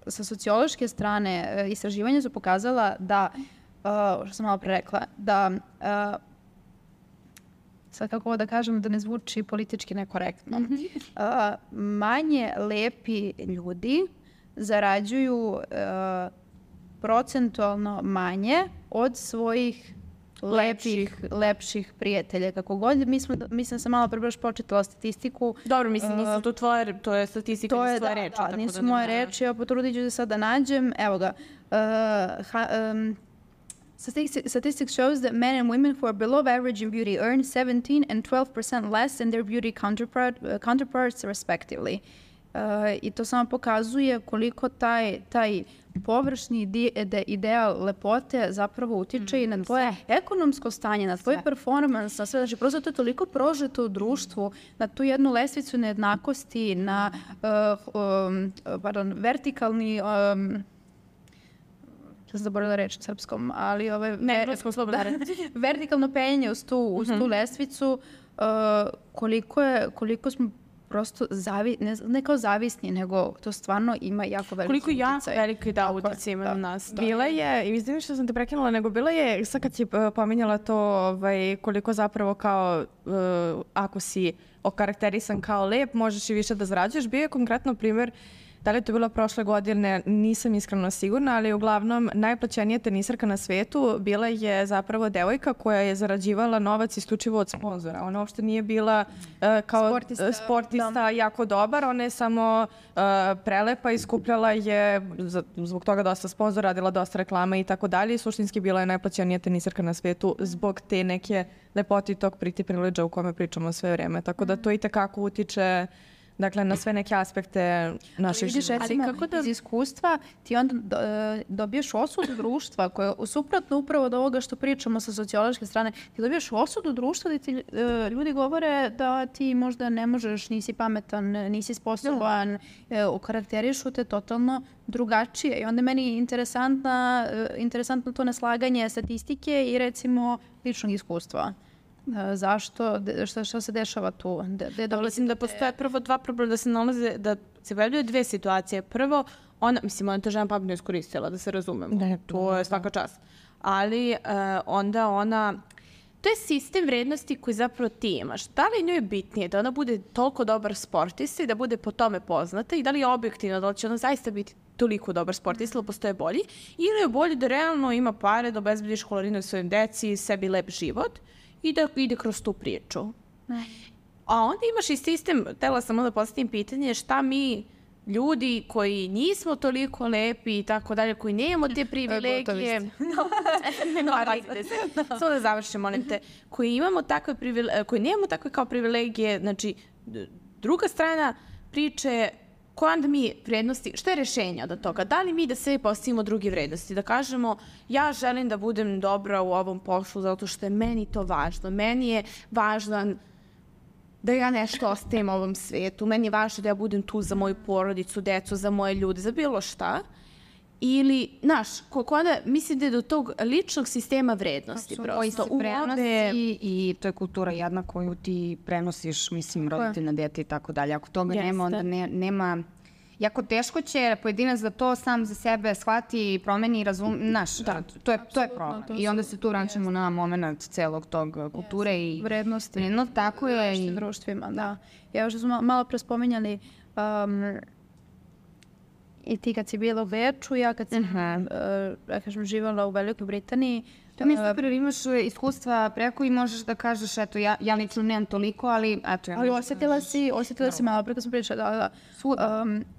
sa sociološke strane istraživanja su pokazala da, što sam malo pre rekla, da sad kako da kažem da ne zvuči politički nekorektno, manje lepi ljudi zarađuju procentualno manje od svojih lepših prijatelja. Kako god, mislim da sam malo pre baš početala statistiku. Dobro, mislim, nisu to tvoje, to je statistika, nisu tvoje reči. Da, nisu moje reči, evo potrudit ću se sad da nađem. Evo ga. Statistics shows that men and women who are below average in beauty earn 17 and 12% less than their beauty counterparts respectively. I to samo pokazuje koliko taj površni ideal lepote zapravo utiče i na tvoje ekonomsko stanje, na tvoj performans, na sve. Znači, prosto to je toliko prožeto u društvu, na tu jednu lestvicu nejednakosti, na vertikalni... sam zaboravila reč na srpskom, ali vertikalno penjanje uz tu lestvicu, koliko smo prosto ne kao zavisni, nego to stvarno ima jako veliki uticaj. Koliko veliki uticaj ima na nas. Bila je, i izvinim što sam te prekinula, nego bila je, sad kad si pominjala to koliko zapravo kao, ako si okarakterisan kao lep, možeš i više da zarađuješ. Bio je konkretno primjer, da li je to bilo prošle godine, nisam iskreno sigurna, ali uglavnom najplaćenija tenisarka na svetu bila je zapravo devojka koja je zarađivala novac isključivo od sponzora. Ona uopšte nije bila kao sportista jako dobar, ona je samo prelepa i skupljala je, zbog toga dosta sponzora, radila dosta reklama i tako dalje. I suštinski bila je najplaćenija tenisarka na svetu zbog te neke lepote i tog pretty privilege o kome pričamo sve vreme. Tako da to i tekako utiče na sve neke aspekte naših života. Ali kako da iz iskustva ti onda dobiješ osudu društva koja je suprotno upravo od ovoga što pričamo sa sociološke strane. Ti dobiješ osudu društva da ti ljudi govore da ti možda ne možeš, nisi pametan, nisi sposoban, okarakterišu te totalno drugačije. I onda meni je interesantno to neslaganje statistike i recimo ličnog iskustva. Zašto? Šta se dešava tu? Mislim da postoje prvo dva problema, da se nalaze, da se pojavljaju dve situacije. Prvo, ona to žena pametno iskoristila, da se razumemo. To je svaka čast. Ali onda ona... To je sistem vrednosti koji zapravo ti imaš. Da li njoj je bitnije da ona bude toliko dobar sportista i da bude po tome poznata i da li je objektivno, da li će ona zaista biti toliko dobar sportista ili postoje bolji, ili je bolje da realno ima pare, da obezbedi školarinu svojim deci, sebi lep život i da ide kroz tu priču. A onda imaš i sistem, htela sam da postavim pitanje, šta mi ljudi koji nismo toliko lepi i tako dalje, koji nemamo te privilegije... Samo da završim, molim te. Koji nemamo takve kao privilegije, znači, druga strana priče, koje onda mi vrednosti, što je rešenje od toga? Da li mi da sebi postavimo druge vrednosti? Da kažemo, ja želim da budem dobra u ovom poslu zato što je meni to važno. Meni je važno da ja nešto ostavim ovom svetu. Meni je važno da ja budem tu za moju porodicu, decu, za moje ljude, za bilo šta. Ili, onda mislim da je do tog ličnog sistema vrednosti prosto. Koji se prenosi i to je kultura jedna koju ti prenosiš, mislim, roditelj na dete i tako dalje. Ako toga nema, onda nema... jako teško će pojedinac da to sam za sebe shvati, promeni i to je problem. I onda se tu vraćamo na moment celog tog kulture i vrednosti. Tako je. I društvima, da. Ja što smo malo pre spominjali i ti kad si bila u Beču, ja kad sam živjela u Velikoj Britaniji. To mi je super, imaš iskustva preko i možeš da kažeš, eto, ja lično nemam toliko, ali eto. Ali osjetila si malo pre kad sam pričala,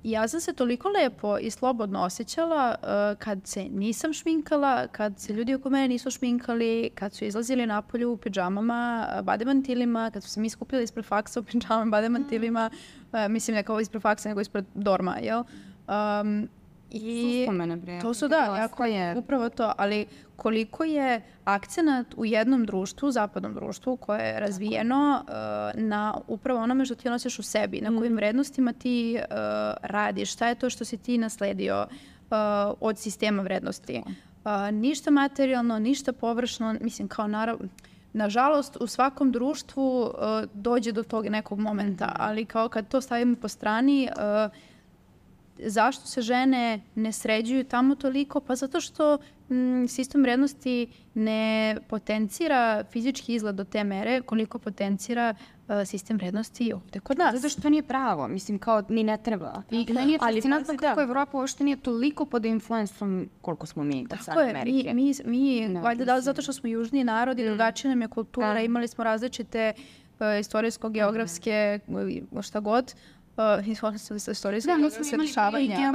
ja sam se toliko lepo i slobodno osjećala kad se nisam šminkala, kad se ljudi oko mene nisu šminkali, kad su izlazili napolju u pidžamama, bademantilima, kad su se mi skupljali ispred faksa u pidžamama, bademantilima, mislim ne kao ispred faksa, nego ispred dorma, jel? I to su upravo to, ali koliko je akcenat u jednom društvu, zapadnom društvu koje je razvijeno na upravo onome što ti nosiš u sebi, na kojim vrednostima ti radiš, šta je to što si ti nasledio od sistema vrednosti. Ništa materijalno, ništa površno, mislim kao nažalost u svakom društvu dođe do tog nekog momenta, ali kao kad to stavimo po strani, zašto se žene ne sređuju tamo toliko? Pa zato što sistem vrednosti ne potencira fizički izgled do te mere koliko potencira sistem vrednosti ovde kod nas. Zato što to nije pravo, mislim kao ni ne treba. I meni je fascinantno kako Evropa uopšte nije toliko pod influensom koliko smo mi od strane Amerike. Mi valjda zato što smo južniji narod i drugačija nam je kultura, imali smo različite istorijsko-geografske, šta god, istorijske dešavanja.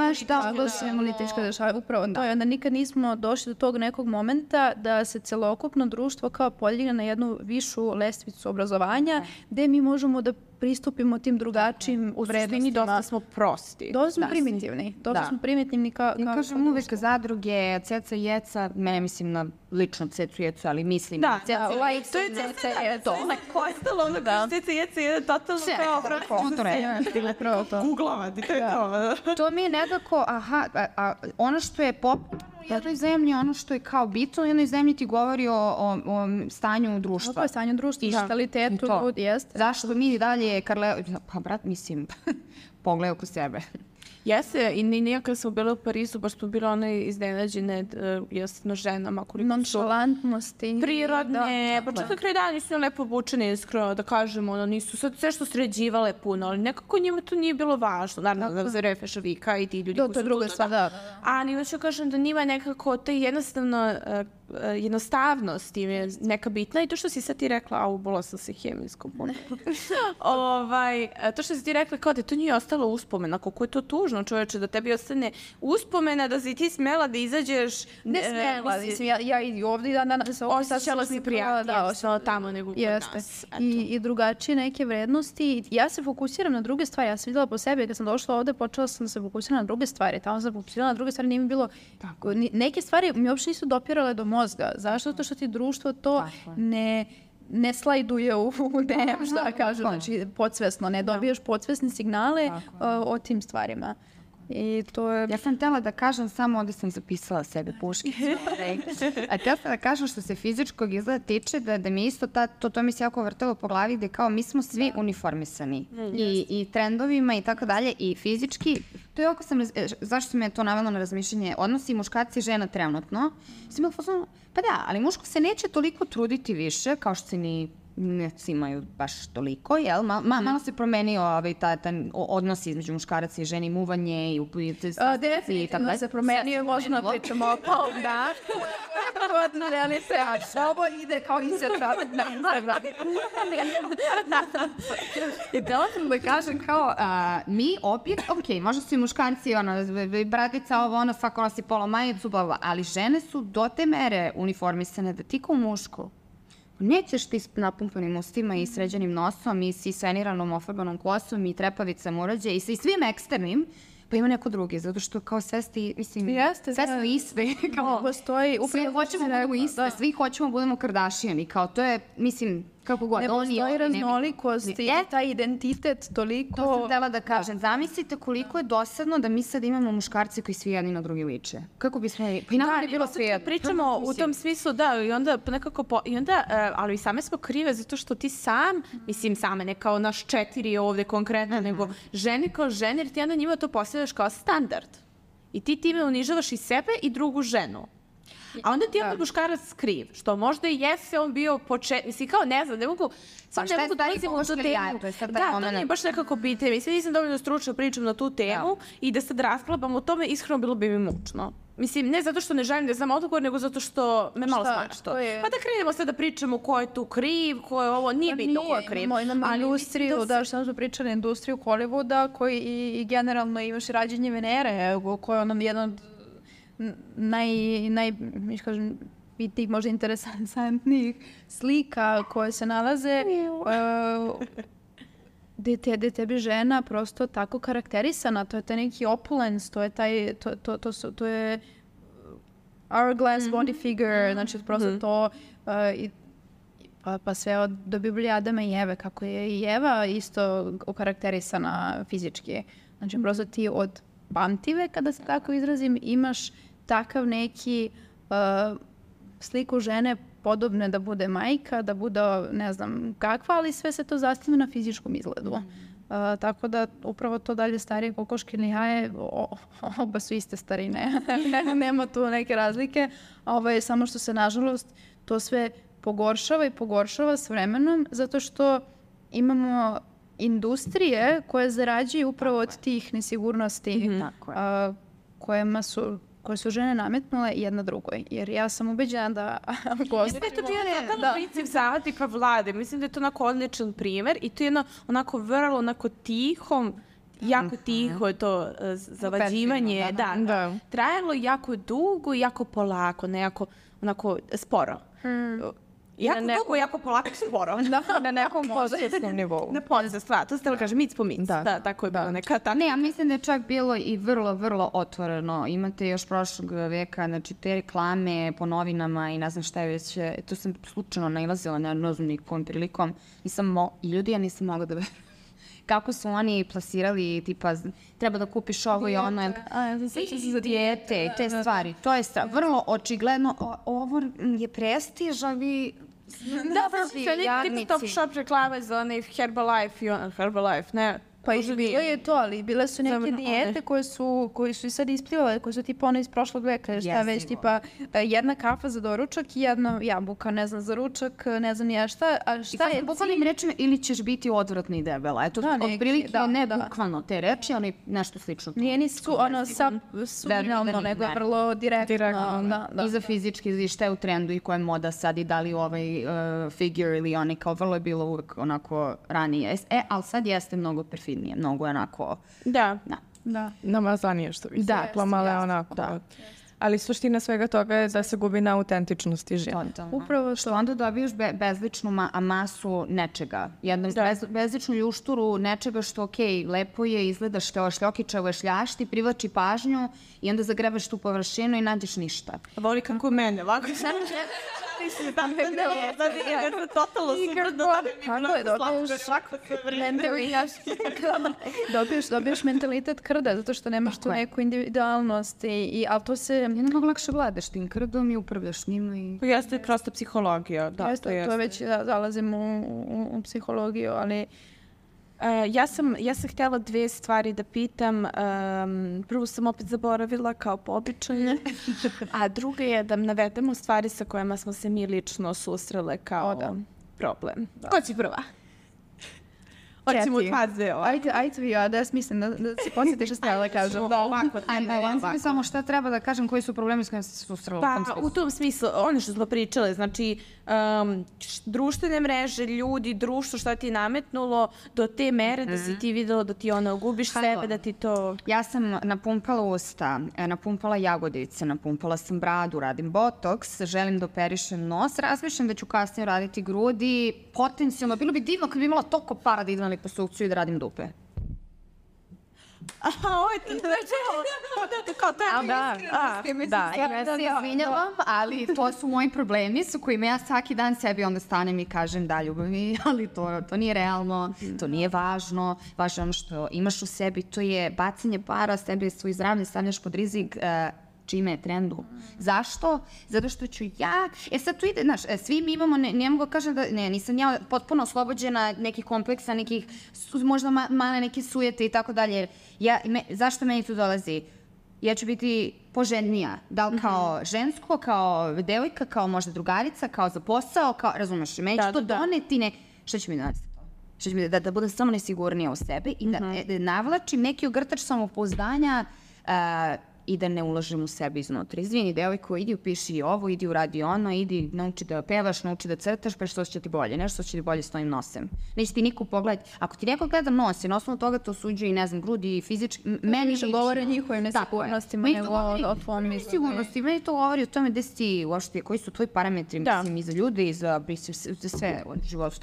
Upravo to je. Onda nikad nismo došli do tog nekog momenta da se celokupno društvo kao podigne na jednu višu lestvicu obrazovanja gde mi možemo da pristupimo tim drugačijim vrednostima. Dosta smo prosti. Dosta smo primitivni. Dosta smo primitivni kao kažem uvek zadruge, ceca i jeca, ne mislim na lično cecu i jecu, ali mislim na ceca i jeca. To je ceca i jeca. Ostalo ono kao ceca i jeca je totalno kao uglavati. To mi je nekako, ono što je u jednoj zemlji, ono što je kao bitno, u jednoj zemlji ti govori o stanju društva. O stanju društva, mentalitetu, jeste. Zašto mi dalje, pa brat, mislim, pogledaj oko sebe. Jeste, i nijakad smo bile u Parizu, baš smo bile one iznenađene jasno ženama. Nonšalantnosti. Prirodne, pa čak na kraju dana nisu lepo obučene, iskreno da kažemo, nisu sve što sređivale puno, ali nekako njima to nije bilo važno. Naravno, za Refe Šavika i ti ljudi koji su to druga stvar, da. A njima ću kažem da njima nekako to jednostavnost im je neka bitna i to što si sad ti rekla, ubola sam se hemijskom puno. To što si ti rekla, kao da to nije ostalo uspomena, koliko je to tužno, čoveče, da tebi ostane uspomena, da si ti smela da izađeš... Ne smela, mislim, ja i ovdje i danas... Osjećala si prijatnije, ostala tamo nego kod nas. I drugačije neke vrednosti. Ja se fokusiram na druge stvari, ja sam videla po sebi, kad sam došla ovde, počela sam se fokusirati na druge stvari, tamo sam fokusirala na druge stvari, nije mi bilo... Neke stvari mi uopšte nisu dopirale do mozga. Zašto? Zato što ti društvo to ne slajduje u DM, šta kažu, znači podsvesno, ne dobiješ podsvesne signale o tim stvarima. I to je... Ja sam htjela da kažem, samo ovdje sam zapisala sebe puškicu. A htjela sam da kažem što se fizičkog izgleda tiče, da mi isto to mi se jako vrtelo po glavi, gde kao mi smo svi uniformisani. I trendovima i tako dalje, i fizički. To je oko zašto me to navelo na razmišljanje, odnosi muškarci i žena trenutno. Sam bila fazonu, pa da, ali muško se neće toliko truditi više, kao što se ni ne imaju baš toliko, jel? Malo se promenio taj odnos između muškaraca i ženi, muvanje i upljivce. Definitivno se promenio, možemo da pričamo o pol, da. Odno realizacija. Ovo ide kao insertat na Instagram. I htjela sam da kažem kao, mi opet, možda su i muškarci, bradica, ovo, svako nosi polo majicu, ali žene su do te mere uniformisane da ti kao muško nećeš ti s napumpanim ustima i sređenim nosom i s isveniranom ofarbanom kosom i trepavicama urađe i sa svim eksternim, pa ima neko drugi, zato što kao sve ste, mislim, sve smo iste. Svi hoćemo da budemo iste, svi hoćemo da budemo Kardashian i kao to je, mislim, Kako god, ne postoji raznolikost i taj identitet toliko... To sam htela da kažem. Zamislite koliko je dosadno da mi sad imamo muškarce koji svi jedni na drugi liče. Kako bismo... Pa i nama je bilo sve jedno. Pričamo u tom smislu, da, i onda nekako... ali i same smo krive zato što ti sam, mislim same, ne kao naš 4 ovde konkretno, nego žene kao žene, jer ti onda njima to postavljaš kao standard. I ti time unižavaš i sebe i drugu ženu. A onda ti opet muškarac kriv, što možda i jeste on bio mislim kao ne znam, ne mogu... Pa šta je taj koškar jaja, to je sad taj moment. Da, to mi baš nekako pitanje. Mislim, nisam dovoljno stručna pričam na tu temu i da sad rasklapam o tome, iskreno bilo bi mi mučno. Mislim, ne zato što ne želim da znam odgovor, nego zato što me malo smač to. Pa da krenemo sad da pričamo ko je tu kriv, ko je ovo, nije bitno ko je kriv. Imamo industriju, da što smo pričali, industriju Hollywooda, koji i generalno imaš i rađenje Venere, koja je ono jedan od tih možda interesantnijih slika koje se nalaze gde tebi žena prosto tako karakterisana, to je taj neki opulence, to je hourglass body figure, znači prosto to pa sve do Biblije Adama i Eve, kako je i Eva isto okarakterisana fizički. Znači prosto ti od pamtive, kada se tako izrazim, imaš takav neki sliku žene podobne da bude majka, da bude ne znam kakva, ali sve se to zasniva na fizičkom izgledu. Tako da upravo to dalje starije kokoškine jaje, oba su iste starine, nema tu neke razlike, samo što se nažalost to sve pogoršava s vremenom, zato što imamo industrije koje zarađuju upravo od tih nesigurnosti koje su žene nametnule jedna drugoj. Jer ja sam ubeđena da... Mislim da je to jedan princip zavatnika vlade. Mislim da je to onako odličan primer i to je jedno onako vrlo onako tihom, jako tiho je to zavađivanje. Da. Trajalo jako dugo i jako polako, ne jako onako sporo. Jako dugo, jako polako, sporo. Na nekom podsvesnom nivou. Na podsvesnom, to ste li kažem, mic po mic. Da, tako je bilo neka. Ne, ja mislim da je čak bilo i vrlo, vrlo otvoreno. Imate još prošlog veka, znači te reklame po novinama i ne znam šta je već, to sam slučajno nailazila na nozumnik kom prilikom. I ljudi, ja nisam mogla da verujem. Kako su oni plasirali, tipa, treba da kupiš ovo i ono. Za dijete i te stvari. To je vrlo očigledno. Ovo je prestiž, a vi... Da, tipa Top Shop reklame za onaj Herbalife, ne... Pa i bilo je to, ali bile su neke dijete koje su i sad isplivale, koje su tipa one iz prošlog veka, šta već, tipa jedna kafa za doručak i jedna jabuka, ne znam, za ručak, ne znam ja šta. I sad bukvalnim rečima ili ćeš biti odvratna i debela. Eto, otprilike ne bukvalno te reči, ali nešto slično. Nije ni subliminalno, nego vrlo direktno. I za fizički, šta je u trendu i koja je moda sad i da li ovaj figure ili oni, kao vrlo je bilo uvek onako ranije. Ali sad jeste mnogo perfidnije. Mnogo je onako... Da. Namazanije što bi se rekla, malo je onako. Ali suština svega toga je da se gubi na autentičnosti žene. Upravo što onda dobiješ bezličnu masu nečega. Jednu bezličnu ljušturu nečega što, lepo je, izgledaš šljokičavo šljašti, privlači pažnju i onda zagrebaš tu površinu i nađeš ništa. Voli kako mene, ovako sam totalno dobiješ mentalitet krda, zato što nemaš tu neku individualnost, ali to se... Mnogo lakše vladaš tim krdom i upravljaš njima. To jeste prosta psihologija. To već zalazim u psihologiju, ali... Ja sam htjela 2 stvari da pitam. Prvu sam opet zaboravila kao po običaju, a druga je da navedemo stvari sa kojima smo se mi lično susrele kao problem. Ko će prva? Hoćemo u faze. Ajde vi, da smislim da se podsjetiš što stavila kažem. Ajde, samo šta treba da kažem, koji su problemi s kojima se susrela u tom smislu? U tom smislu, ono što smo pričale, znači društvene mreže, ljudi, društvo, šta ti je nametnulo do te mere da si ti videla da ti ono gubiš sebe, da ti to... Ja sam napumpala usta, napumpala jagodice, napumpala sam bradu, radim botoks, želim da operišem nos, razmišljam da ću kasnije raditi grudi, potencijalno, bilo bi divno kad bi imala toliko para da idem na liposukciju i da radim dupe. ovo je ti kao to. Ja se izvinjavam, ali to su moji problemi su kojima ja svaki dan sebi onda stanem i kažem da ljubavi, ali to nije realno, to nije važno. Važno je ono što imaš u sebi, to je bacanje para, sebi svoj zdravlje stavljaš pod rizik, čime je trendu. Zašto? Zato što ću ja... sad tu ide, znaš, svi mi imamo, ne mogu kažem da, nisam ja potpuno oslobođena nekih kompleksa, nekih, možda male neke sujete i tako dalje. Zašto meni tu dolazi? Ja ću biti poželjnija. Da li kao žensko, kao devojka, kao možda drugarica, kao za posao, kao, razumeš, meni će to doneti Šta će mi doneti to? Šta će mi da budem samo nesigurnija u sebi i da navlačim neki ogrtač samopouzdanja i da ne ulažem u sebe iznutra. Izvini, devojko, idi upiši ovo, idi uradi ono, idi nauči da pevaš, nauči da crtaš, pa što će ti bolje, nešto će ti bolje s tvojim nosem. Neće ti niko pogledati. Ako ti neko gleda nos i na osnovu toga to suđuje i ne znam, grudi i fizički, meni više govore o njihovim nesigurnostima nego o tvojom nesigurnosti. Meni to govori o tome gde si ti, uopšte, koji su tvoji parametri, mislim, i za ljude, i za sve u životu.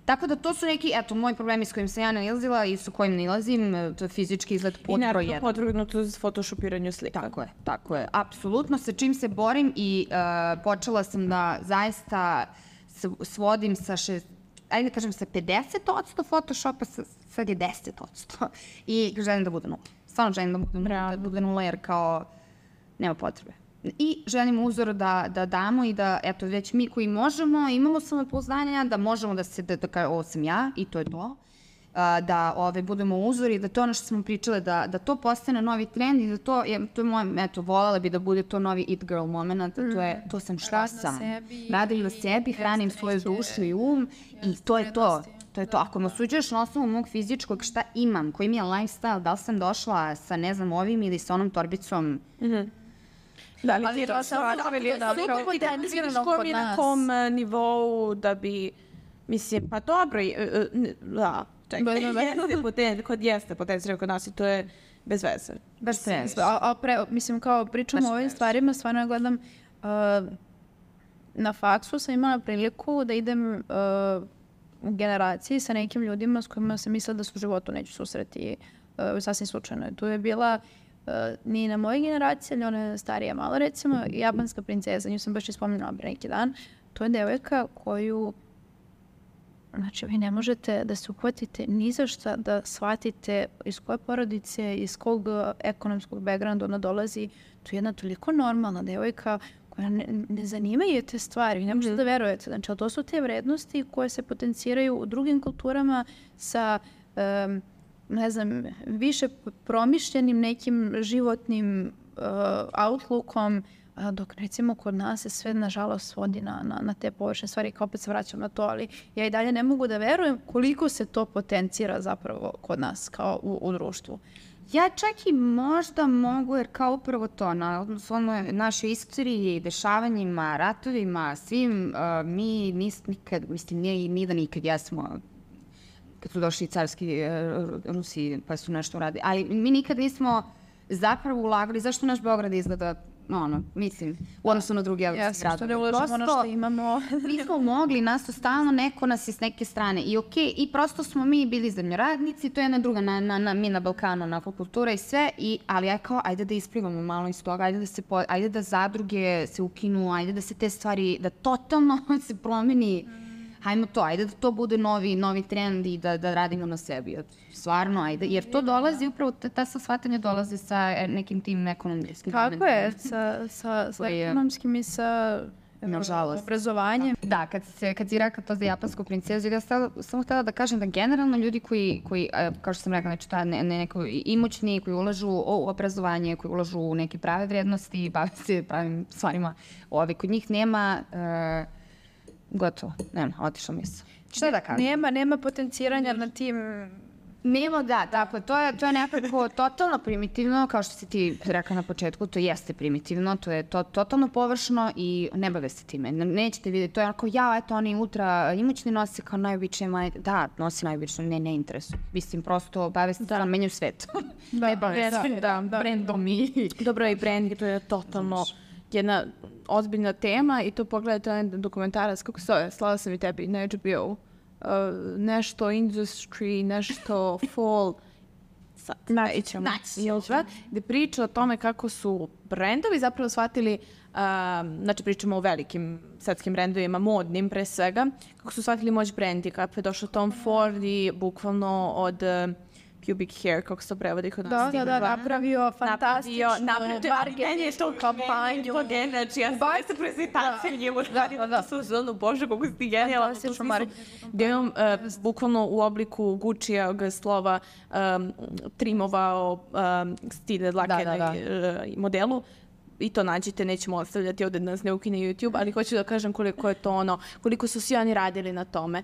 Tako da to su neki, moji problemi s kojim sam ja nalazila i s kojim nalazim, to je fizički izgled pod broj 1. I naravno podvrgnuto za photoshopiranju slika. Tako je. Apsolutno sa čim se borim i počela sam da zaista svodim sa ajde da kažem sa 50% photoshopa, sad je 10%. I želim da bude nula. Stvarno želim da bude nula jer kao nema potrebe. I želim uzor da damo i da, već mi koji možemo, imamo samopouzdanja, da možemo da ovo sam ja i to je to, da budemo uzor i da to ono što smo pričale, da to postane novi trend i da to je moje, voljela bi da bude to novi it girl moment, to sam šta sam. Radim na sebi, hranim svoju dušu i i to je to. To je to. Ako me osuđuješ na osnovu mog fizičkog šta imam, koji mi je lifestyle, da li sam došla sa ne znam ovim ili sa onom torbicom, da li ti to mi na kom nivou da bi, mislim, pa dobro, da, čekaj, jeste potencijal kod nas i to je bez veze. Bez veze. Mislim, kao pričam o ovim stvarima, stvarno ja gledam, na faksu sam imala priliku da idem u generaciji sa nekim ljudima s kojima sam mislila da se u životu neću susreti sasvim slučajno. Tu je bila ni na mojoj generaciji, ali ona je starija malo, recimo, japanska princeza, nju sam baš ispominjala pre neki dan. To je devojka koju, znači, vi ne možete da se uhvatite ni za šta da shvatite iz koje porodice, iz kog ekonomskog backgrounda ona dolazi. To je jedna toliko normalna devojka koja ne zanimaju te stvari, vi ne možete da verujete. Znači, ali to su te vrednosti koje se potenciraju u drugim kulturama sa ne znam, više promišljenim nekim životnim outlookom, dok recimo kod nas se sve nažalost svodi na te površne stvari, kao opet se vraćam na to, ali ja i dalje ne mogu da verujem koliko se to potencira zapravo kod nas kao u društvu. Ja čak i možda mogu, jer kao upravo to, na našoj istoriji, dešavanjima, ratovima, svim, mi nikad, mislim, nije ni da nikad jesmo, kad su došli carski Rusi pa su nešto uradili. Ali mi nikad nismo zapravo ulagali. Zašto naš Beograd izgleda, mislim, u odnosu na drugi evropski grad? Što ne ulažemo ono što imamo. Nismo mogli, nas to stalno, neko nas je s neke strane. I okej, i prosto smo mi bili zemljoradnici, to je jedna druga, mi na Balkanu, na kultura i sve, ali ja kao, ajde da isplivamo malo iz toga, ajde da zadruge se ukinu, ajde da se te stvari, da totalno se promeni. Hajmo to, ajde da to bude novi trend i da radimo na sebi. Stvarno, ajde. Jer to dolazi, upravo ta shvatanja dolazi sa nekim tim ekonomskim. Kako je? Sa ekonomskim i sa obrazovanjem. Da, kad si rekla to za japansku princezu, ja samo htjela da kažem da generalno ljudi koji kao što sam rekla, znači neko imućni, koji ulažu u obrazovanje, koji ulažu u neke prave vrednosti, bave se pravim stvarima, kod njih nema... Gotovo, nema, otišla misao. Šta da kažem? Nema potenciranja na tim... Nema, da, dakle, to je nekako totalno primitivno, kao što si ti rekla na početku, to jeste primitivno, to je totalno površno i ne bave se time. Nećete vidjeti, to je onako, oni ultra imućni nose kao najobičnije majete. Da, nosi najobičnije, ne interesuje. Mislim, prosto bave se da menjaju svet. Ne bave se brendom i... Dobro, i brand, to je totalno jedna ozbiljna tema i to pogledajte onaj dokumentarac, kako se zove, slala sam i tebi na HBO, nešto industry, nešto fall, gde priča o tome kako su brendovi zapravo shvatili, znači pričamo o velikim svetskim brendovima, modnim pre svega, kako su shvatili moć brandinga, pa je došao Tom Ford i bukvalno od pubic hair, kako se to prevodi kod nas. Da, napravio fantastično marketinšku kampanju. Znači, ja sam se prezentacija njemu radila su zonu, bože, kako si genijalno. Gde je on bukvalno u obliku Gucci-a slova trimovao stile dlake na modelu. I to nađite, nećemo ostavljati ovde nas ne ukine YouTube, ali hoću da kažem koliko je to ono, koliko su svi oni radili na tome.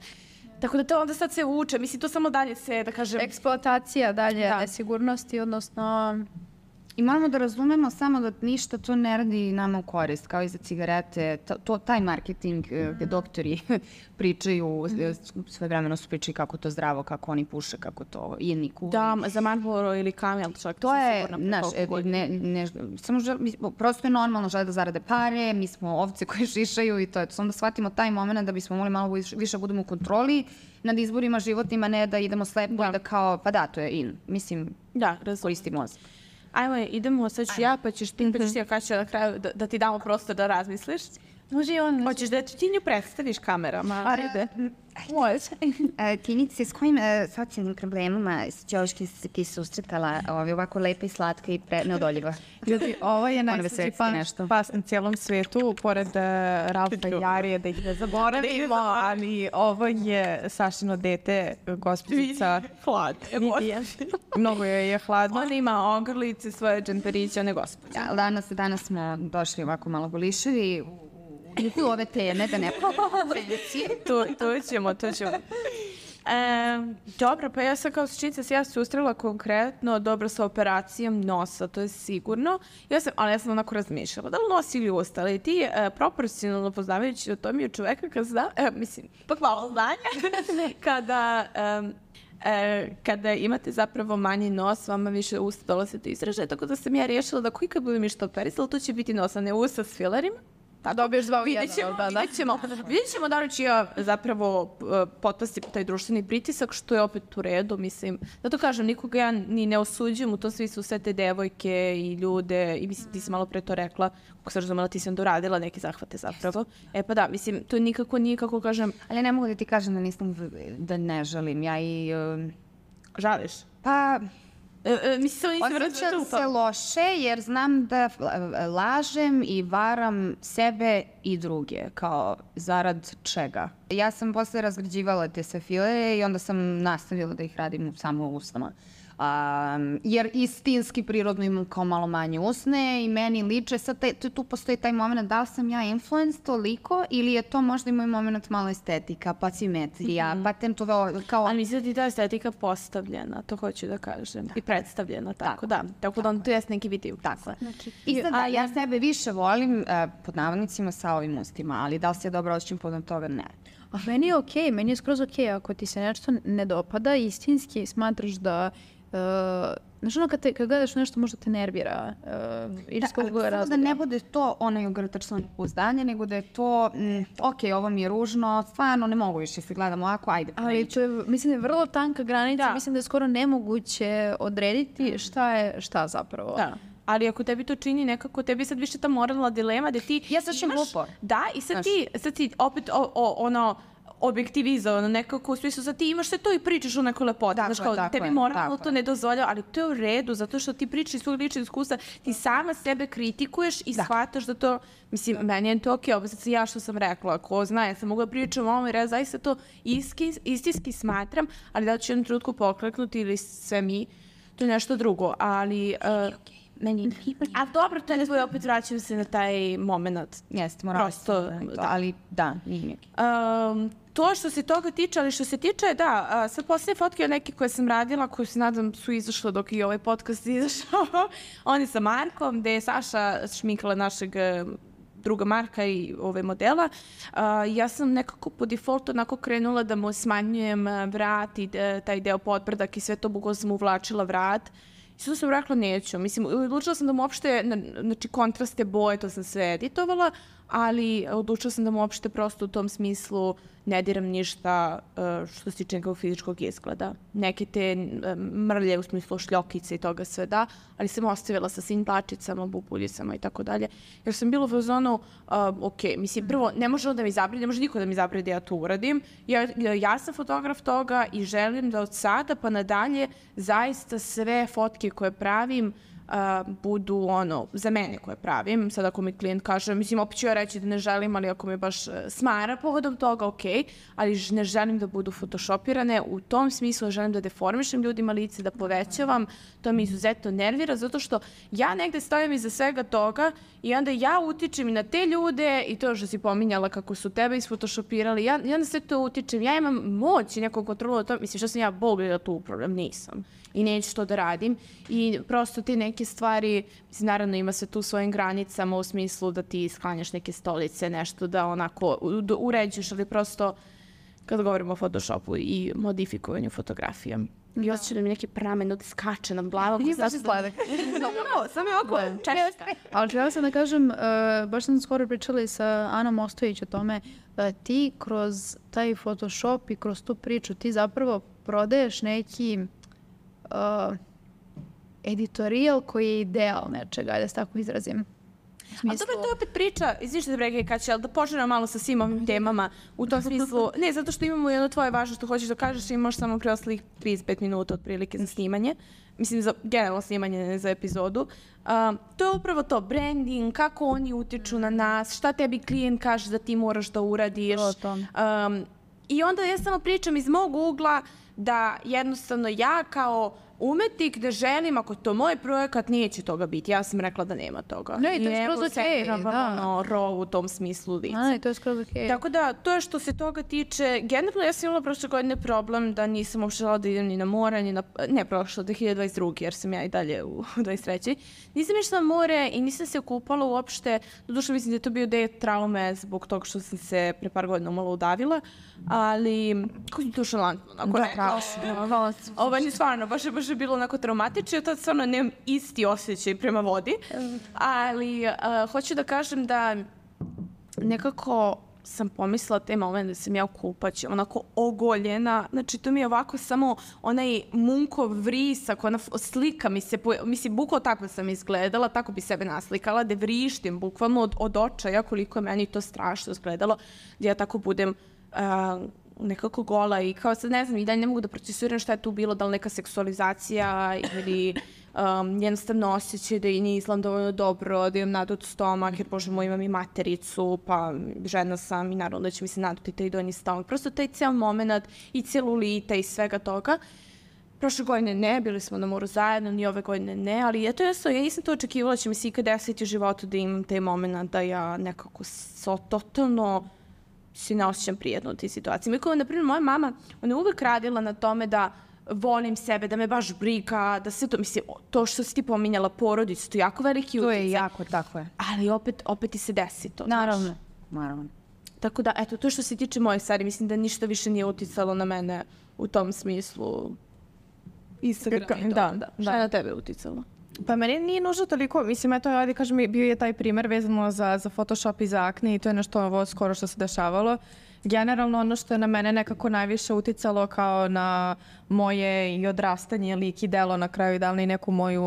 Tako da to onda sad se uče, mislim, to samo dalje se, da kažem... Eksploatacija dalje nesigurnosti, odnosno... I moramo da razumemo samo da ništa to ne radi nama u korist, kao i za cigarete. Taj marketing gde doktori pričaju, sve vremeno su pričali kako to zdravo, kako oni puše, kako to jedni kuri. Da, za Marlboro ili Camel čak. To je, znaš, samo prosto je normalno, žele da zarade pare, mi smo ovce koje šišaju i to je to. Samo da shvatimo taj moment da bismo mogli malo više budemo u kontroli nad izborima životnima, ne da idemo slepo i da kao, pa da, to je in. Mislim, koristi mozak. Ajmo, idemo, sad ću ja, pa ćeš ti, Kaća, na kraju da ti damo prostor da razmisliš. Može i on. Hoćeš da ti nju predstaviš kamerama? Ajde. Može. Tinice, s kojim socijalnim problemima ti se susretala ovako lepa i slatka i neodoljiva? Ljudi, ovo je najsveći pas na cijelom svijetu, pored Ralfa i Jarije, da ih ne zaboravimo, ali ovo je Sašino dete, gospođica. Hlad. Mnogo je hladno. Ona ima ogrlice, svoje džemperiće, one gospođe. Danas smo došli ovako malo goliševi, u ove teme, da ne To ćemo. Dobro, pa ja sam kao sličica se susrela konkretno dobro sa operacijom nosa, to je sigurno. Ali ja sam onako razmišljala, da li nosi ili usta, ali ti proporcionalno poznavajući o tom je čoveka malo znanja, kada imate zapravo manji nos, vama više usta dolaze do izražaja, tako da sam ja rješila da kad budem išta operisala, to će biti nos, a ne usta s filerima. Da dobiješ dva u jedan. Vidjet ćemo da li ću ja zapravo potpasti taj društveni pritisak, što je opet u redu, mislim. Zato kažem, nikoga ja ni ne osuđujem, u to svi su sve te devojke i ljude, i mislim, ti si malo pre to rekla, kako sam razumela, ti si onda uradila neke zahvate zapravo. Pa da, mislim, to nikako nije, kako kažem... Ali ne mogu da ti kažem da ne žalim, ja i... Žališ? Pa... Osjećam se loše jer znam da lažem i varam sebe i druge, kao zarad čega. Ja sam posle razgrađivala te sve filere i onda sam nastavila da ih radim samo u usnama. Jer istinski prirodno imam kao malo manje usne i meni liče, sad tu postoji taj moment da li sam ja influence toliko ili je to možda i moj moment malo estetika, pa simetrija, pa kao... Ali mislim da ti ta estetika postavljena, to hoću da kažem, i predstavljena, tako da. Tako da on to jes neki vidio. Tako. I sad ja sebe više volim, pod navodnicima, sa ovim ustima, ali da li se ja dobro osjećam podom toga, ne. A meni je okej, meni je skroz okej ako ti se nešto ne dopada, istinski smatraš da znaš ono kad gledaš nešto možda te nervira. Samo da ne bude to onaj ogrtačno nepouzdanje, nego da je to okej, ovo mi je ružno, stvarno ne mogu više se gledam ovako, ajde. Ali to je, mislim da je vrlo tanka granica, mislim da je skoro nemoguće odrediti šta je šta zapravo. Da. Ali ako tebi to čini nekako, tebi sad više ta moralna dilema da ti... Ja sad ćem glupo. Da, i sad ti opet objektivizovano nekako, u smislu sad ti imaš sve to i pričaš o nekoj lepoti. Znaš kao, tebi moralno to ne dozvoljava, ali to je u redu, zato što ti pričaš iz svog ličnog iskustva, ti sama sebe kritikuješ i shvataš da to, mislim, meni je to okej, ovo sad ja što sam rekla, ko zna, ja sam mogla pričam o ovome, jer zaista to istinski smatram, ali da ću jednom trenutku pokleknuti ili sve mi, to je nešto drugo, ali... A dobro, to je tvoj, opet vraćam se na taj moment. Jeste, moram ali da, nije. To što se toga tiče, ali što se tiče, da, sad posljednje fotke neke koje sam radila, koje se nadam su izašle dok i ovaj podcast izašao, oni sa Markom, gde je Saša šminkala našeg druga Marka i ove modela. Ja sam nekako po defaultu onako krenula da mu smanjujem vrat i taj deo podbrdak i sve to, bukvalno sam uvlačila vrat. I sada sam rekla neću. Mislim, odlučila sam da mu uopšte, znači kontraste boje, to sam sve editovala, ali odlučila sam da mu uopšte prosto u tom smislu ne diram ništa što se tiče nekog fizičkog izgleda. Neke te mrlje u smislu šljokice i toga sve da, ali sam ostavila sa svim tlačicama, bubuljicama i tako dalje. Jer sam bila u zonu, ok, mislim, prvo, ne može on da mi zabrani, ne može niko da mi zabrani da ja to uradim. Ja sam fotograf toga i želim da od sada pa nadalje zaista sve fotke koje pravim budu za mene koje pravim. Sad ako mi klijent kaže, mislim, opet ću ja reći da ne želim, ali ako me baš smara povodom toga, ok, ali ne želim da budu photoshopirane. U tom smislu želim da deformišem ljudima lice, da povećavam. To me izuzetno nervira, zato što ja negde stojim iza svega toga i onda ja utičem i na te ljude i to što si pominjala kako su tebe isfotoshopirali, ja na sve to utičem. Ja imam moć i neku kontrolu o tome. Mislim, što sam ja Bog da tu upravljam? Nisam. I neću to da radim. I prosto te neke stvari, mislim, naravno ima se tu svojim granicama u smislu da ti sklanjaš neke stolice, nešto da onako uređuješ, ali prosto kad govorimo o Photoshopu i modifikovanju fotografija. I osjećam da mi neki pramen skače na glavu. Nije baš sladak. Samo je oko češka. Ali treba sam da kažem, baš sam skoro pričala i sa Anom Ostojić o tome, ti kroz taj Photoshop i kroz tu priču ti zapravo prodaješ neki editorijal koji je ideal nečega, da se tako izrazim. A dobro, to je opet priča, izvište da brega i kaće, ali da poželjamo malo sa svim ovim temama u tom smislu. Ne, zato što imamo jedno tvoje važno što hoćeš da kažeš i imaš samo preostalih 35 minuta otprilike za snimanje. Mislim, za generalno snimanje, ne za epizodu. To je upravo to, branding, kako oni utiču na nas, šta tebi klijent kaže da ti moraš da uradiš. I onda ja samo pričam iz mog ugla da jednostavno ja kao umetnik da želim, ako to moj projekat, neće toga biti. Ja sam rekla da nema toga. Ne, i to je skroz okej, da. Raw u tom smislu lica. To je skroz okej. Tako da, to je što se toga tiče. Generalno, ja sam imala prošle godine problem da nisam uopšte žela da idem ni na more, ni na... Ne, prošlo, 2022. jer sam ja i dalje u 23. Nisam išla na more i nisam se okupala uopšte. Doduše, mislim da je to bio deo traume zbog toga što sam se pre par godina malo udavila. Ali, kako je to šalantno? Ovo je stvarno, baš je bilo onako traumatično, ja tad stvarno nemam isti osjećaj prema vodi, ali hoću da kažem da nekako sam pomislila te moment da sam ja u kupaći, onako ogoljena, znači to mi je ovako samo onaj munkov vrisak, ona slika mi se, mislim, bukvalno tako sam izgledala, tako bi sebe naslikala, da vrištim bukvalno od očaja koliko je meni to strašno izgledalo, da ja tako budem nekako gola i kao sad ne znam i dalje ne mogu da procesuiram šta je tu bilo, da li neka seksualizacija ili jednostavno osjećaj da i ne izgledam dovoljno dobro, da imam nadut stomak, jer bože moj imam i matericu, pa žena sam i naravno da će mi se naduti taj donji stomak. Prosto taj ceo moment i celulita i svega toga. Prošle godine ne, bili smo na moru zajedno, ni ove godine ne, ali eto ja nisam to očekivala, će mi se ikad desiti u životu da imam taj moment da ja nekako totalno se ne osjećam prijedno u tih situacijama. I kao, na primjer, moja mama, ona je uvek radila na tome da volim sebe, da me baš briga, da sve to, mislim, to što si ti pominjala, porodicu, to je jako veliki utjecaj. To je jako, tako je. Ali opet ti se desi to. Naravno. Tako da, eto, to što se tiče moje stvari, mislim da ništa više nije uticalo na mene u tom smislu. Instagram i to. Da. Šta je na tebe uticalo? Pa meni nije nužno toliko, mislim, eto, ajde kažem, bio je taj primer vezano za Photoshop i za akne i to je nešto ovo skoro što se dešavalo. Generalno ono što je na mene nekako najviše uticalo kao na moje i odrastanje, lik i delo na kraju, da li neku moju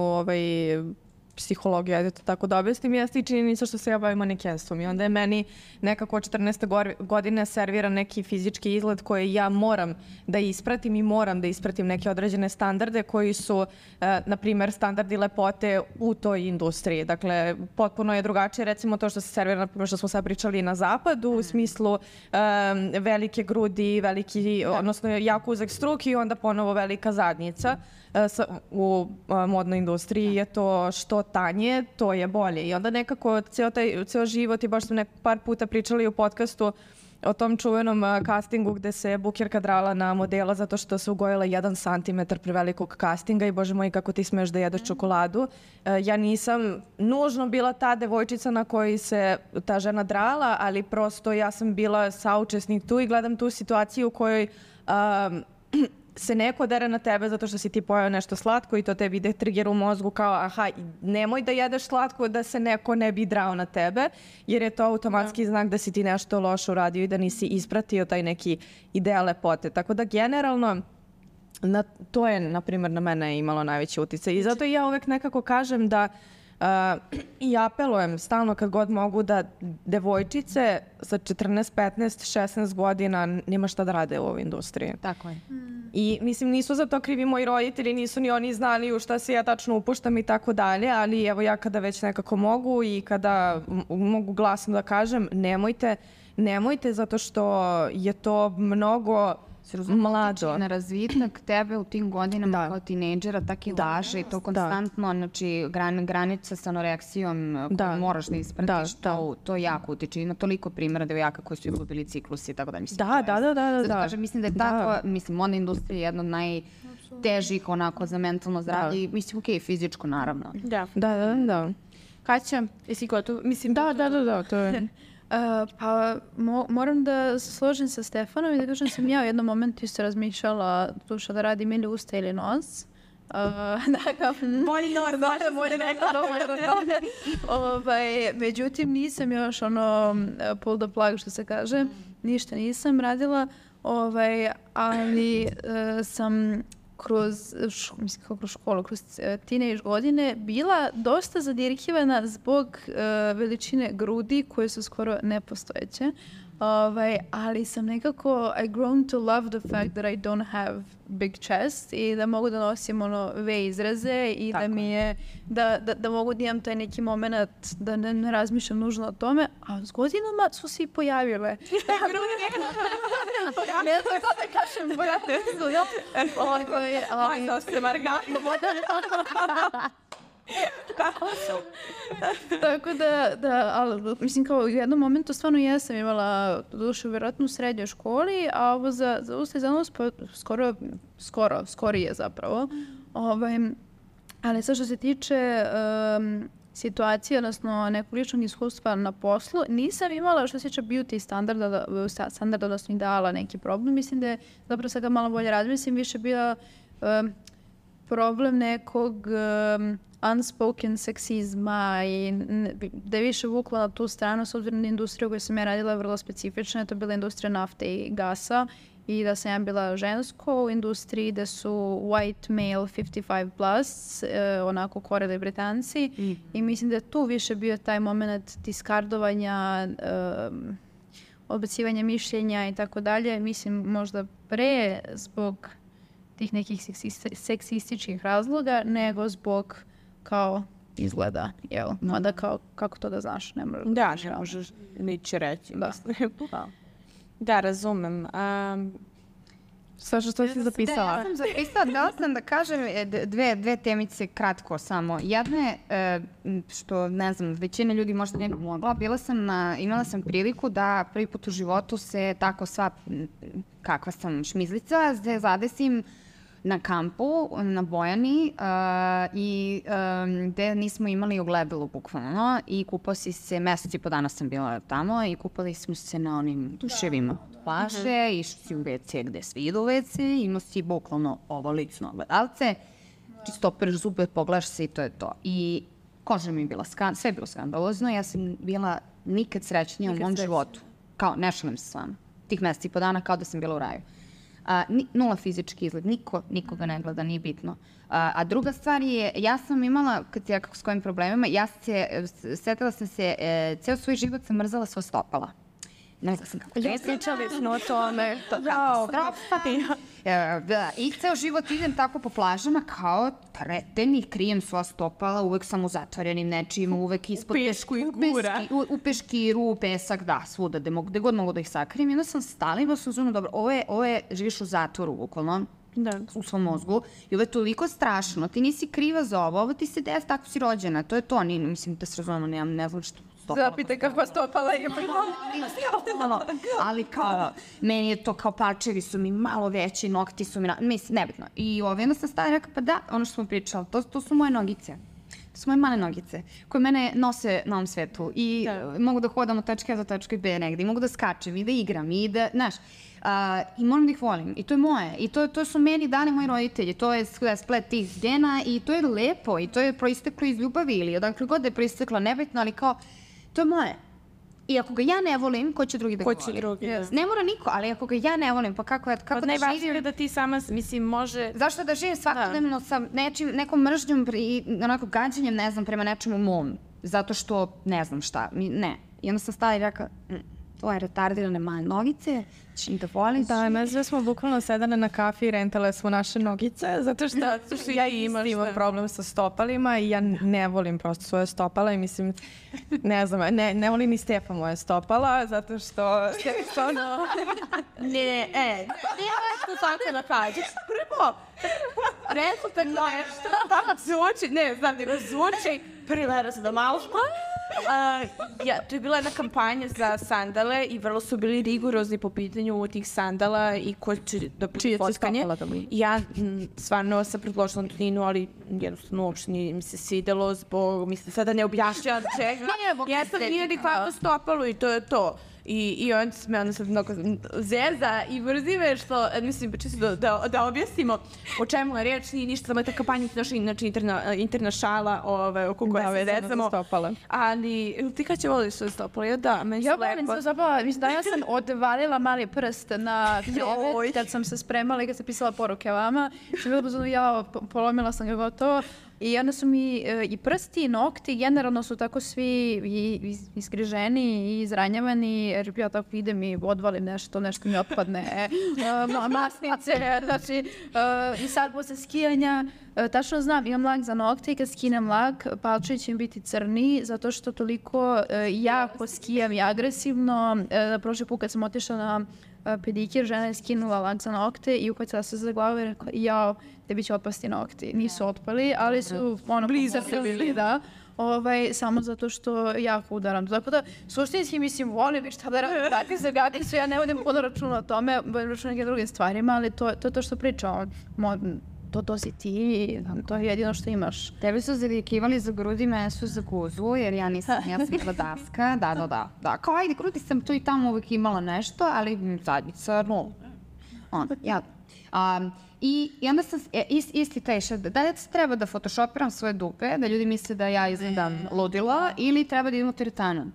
psihologiju, ajde to tako da objasnim, jeste i činjenica što se ja bavim manekenstvom i onda je meni nekako od 14. godine serviran neki fizički izgled koji ja moram da ispratim i moram da ispratim neke određene standarde koji su, na primjer, standardi lepote u toj industriji. Dakle, potpuno je drugačije, recimo to što se servira, na primjer što smo sad pričali na zapadu, u smislu velike grudi, odnosno jako uzak struk i onda ponovo velika zadnjica. U modnoj industriji je to što tanje, to je bolje. I onda nekako ceo život, i baš smo par puta pričali u podcastu o tom čuvenom castingu gde se bukirka drala na modela zato što se ugojila 1 santimetar prevelikog castinga i bože moj kako ti smeš da jedeš čokoladu. Ja nisam nužno bila ta devojčica na kojoj se ta žena drala, ali prosto ja sam bila saučesnik tu i gledam tu situaciju u kojoj se neko dere na tebe zato što si ti pojao nešto slatko i to tebi ide trigger u mozgu kao aha, nemoj da jedeš slatko da se neko ne bi drao na tebe, jer je to automatski znak da si ti nešto loše uradio i da nisi ispratio taj neki ideal lepote. Tako da generalno to je, na primjer, na mene imalo najveći uticaj. I zato ja uvek nekako kažem da i apelujem stalno kad god mogu da devojčice sa 14, 15, 16 godina nema šta da rade u ovoj industriji. Tako je. I mislim, nisu za to krivi moji roditelji, nisu ni oni znali u šta se ja tačno upuštam i tako dalje, ali evo ja kada već nekako mogu i kada mogu glasno da kažem, nemojte zato što je to mnogo mlado. Na razvitak tebe u tim godinama kao tinejdžera tako i laže i to konstantno, znači granica sa anoreksijom koju moraš da ispratiš, to jako utiče. Ima toliko primjera devojaka koji su izgubili ciklus i tako da mislim. Da. Mislim da je tako, mislim, modna industrija je jedna od najtežih onako za mentalno zdravlje i mislim, okej, fizičko naravno. Da. Kaća, jesi gotov? Mislim, Da, to je... Pa moram da se složim sa Stefanom i da kažem sam ja u jednom momentu isto razmišljala duša da radim ili usta ili nos. Bolji nos, međutim nisam još pull the plug što se kaže, ništa nisam radila, ali sam kroz školu, kroz teenage godine bila dosta zadirkivana zbog veličine grudi koje su skoro nepostojeće. Ali sam nekako I grown to love the fact that I don't have big chest i da mogu da nosim V izraze i da mi je da mogu da imam taj neki moment da ne razmišljam nužno o tome, a s godinama su se i pojavile. Ne znam šta da kažem, brate. Aj, se margano. Tako da, ali, mislim, kao u jednom momentu stvarno jesam imala dušu vjerojatno u srednjoj školi, a ovo za usta i za nos skorije zapravo. Ali sad što se tiče situacije, odnosno nekog ličnog iskustva na poslu, nisam imala što se tiče beauty standarda, odnosno ideala neki problem. Mislim da je, zapravo sad ga malo bolje razmislim, više bila problem nekog unspoken seksizma i da je više vukla na tu stranu s obzirom na industriju koju sam ja radila vrlo specifična. To je bila industrija nafte i gasa i da sam ja bila žensko u industriji da su white male 55 plus, onako koreli Britanci i mislim da je tu više bio taj moment diskardovanja, odbacivanja mišljenja i tako dalje. Mislim možda pre zbog tih nekih seksističkih razloga nego zbog kao izgleda, jel? Mada kao, kako to da znaš, ne možeš. Da, ne možeš nići reći. Da, razumem. Sve što si zapisala. Ja sam zapisala, dala sam da kažem dve temice kratko samo. Jedna je, što ne znam, većina ljudi možda ne bi mogla, imala sam priliku da prvi put u životu se tako sva, kakva sam šmizlica, zadesim na kampu, na Bojani i gde nismo imali ogledalo bukvalno i kupao si se, mesec i po dana sam bila tamo i kupali smo se na onim tuševima plaže, išli si u WC gde svi idu u WC, imao si bukvalno ovo lično ogledalce, čisto opereš zube, pogledaš se i to je to. I koža mi je bila, sve je bilo skandalozno, ja sam bila nikad srećnija u mom životu. Kao, ne šalim se s vama. Tih mesec i po dana kao da sam bila u raju. Nula fizički izgled, nikoga ne gleda, nije bitno. A druga stvar je, ja sam imala, kad ja kako s kojim problemima, setila sam se, ceo svoj život sam mrzala sva stopala. Ne znam kako. Pričali smo o tome. I ceo život idem tako po plažama kao treten krijem sva stopala, uvek sam u zatvorenim nečijima, uvek ispod u peškiru, u pesak, da, svuda, gde god mogu da ih sakrijem. I onda sam stala i sam zonu, dobro, ovo je, živiš u zatvoru, bukvalno, u svom mozgu, i ovo je toliko strašno, ti nisi kriva za ovo ti se desi, tako si rođena, to je to, mislim da se razumemo, ne znam što stopala. Zapite kakva stopala je. Ali kao, meni je to kao parčevi su mi malo veći, nokti su mi, mislim, nebitno. I onda sam stala i rekao, pa da, ono što smo pričali, to su moje nogice. To su moje male nogice, koje mene nose na ovom svetu i mogu da hodam od tačke A do tačke B negde, i mogu da skačem i da igram i da, znaš, I moram da ih volim. I to je moje. I to su meni dani moji roditelji. To je splet tih gena i to je lepo. I to je proisteklo iz ljubavi ili odakle god da je proisteklo, nebitno, ali kao, to je moje. I ako ga ja ne volim, ko će drugi da ga voli? Ne mora niko, ali ako ga ja ne volim, pa kako da najvažnije je da ti sama, mislim, može... Zašto da živim svakodnevno sa nekom mržnjom i onako gađanjem, ne znam, prema nečemu mom? Zato što ne znam šta. Ne. I onda sam stala i rekao, to je retardirane male nogice, ćeš im da voliš. Da, nas sve smo bukvalno sedane na kafi i rentale smo naše nogice, zato što ja imam problem sa stopalima i ja ne volim prosto svoje stopala i mislim, ne znam, ne volim ni Stefa moje stopala, zato što... Nije nešto tako da kažeš. Prvo, rezultat nešto, zvuči, ne znam, nego zvuči, privera se da malo to je bila jedna kampanja za sandale i vrlo su bili rigorozni po pitanju tih sandala i ko će da bude fotkanje. Ja stvarno sam predložila Antoninu, ali jednostavno uopšte nije mi se svidelo zbog, mislim, sada ne objašnjam čega. Ja sam nije nikakvo stopalo i to je to. I on se me onda sad mnogo zeza i mrzi me što, mislim, čisto da objasnimo o čemu je reč, nije ništa, samo je ta kampanja, znači interna šala oko koje se zezamo. Ali ti kad će voliš svoje stopalo? Ja da, meni se lepo. Ja volim svoje stopalo, mislim da ja sam odvalila mali prst na krevet kad sam se spremala i kad sam pisala poruke vama. Sam bila pozorno, ja polomila sam ga gotovo. I onda su mi i prsti i nokti, generalno su tako svi iskriženi i izranjavani, jer ja tako idem i odvalim nešto mi otpadne, masnice, znači, i sad posle skijanja, tačno znam, imam lak za nokte i kad skinem lak, palčevi će mi biti crni, zato što toliko jako skijam i agresivno. Prošli put kad sam otišla na pedikir, žena je skinula lak za nokte i uhvatila se za glavu i rekla, jao, tebi će otpasti nokti. Nisu otpali, ali su blizu bili, da. Samo zato što jako udaram. Tako da, suštinski mislim, volim šta da radim, dati se gati su, ja ne vodim puno računa o tome, računa nekim drugim stvarima, ali to je to što pričam. To si ti, to je jedino što imaš. Tebe su zalikivali za grudi, mene su za guzu, jer ja sam bila daska. Da. Kao ajde, grudi sam tu i tamo uvijek imala nešto, ali zadnjica, I onda sam isti taj da li treba da photoshopiram svoje dupe, da ljudi misle da ja izgledam ludila, ili treba da idem u teretanu.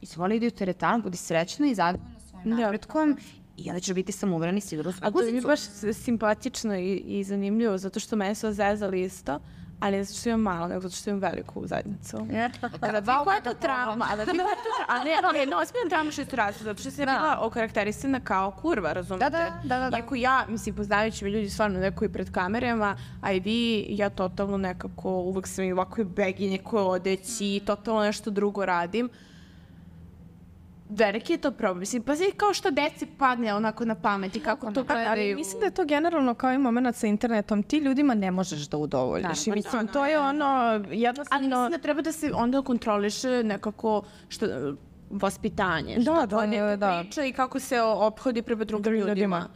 Izvoli idi u teretanu, budi srećna i zadovoljna svojim napretkom. I onda ćeš biti samouvereni sigurno svoju guzicu. A to je baš simpatično i zanimljivo, zato što mene su zezali isto, ali ne zato što imam malo, nego zato što imam veliku zajednicu. Koja je to trauma? Ali ne, ozbiljna trauma što je to različno, zato što sam bila okarakterisana kao kurva, razumete? Da. Iako ja, mislim, poznavajući me ljudi stvarno neko i pred kamerama, a i vi, ja totalno nekako, uvek sam i ovako beginje koje odeći, totalno nešto drugo radim. Veliki je to problem. Mislim, pa kao što deci padne onako na pamet i kako to gledaju. Mislim da je to generalno kao i moment sa internetom. Ti ljudima ne možeš da udovoljiš. I mislim, to je ono jednostavno... Ali mislim da treba da se onda kontroliše nekako vaspitanje. Da. Priča i kako se ophodi prema drugim ljudima.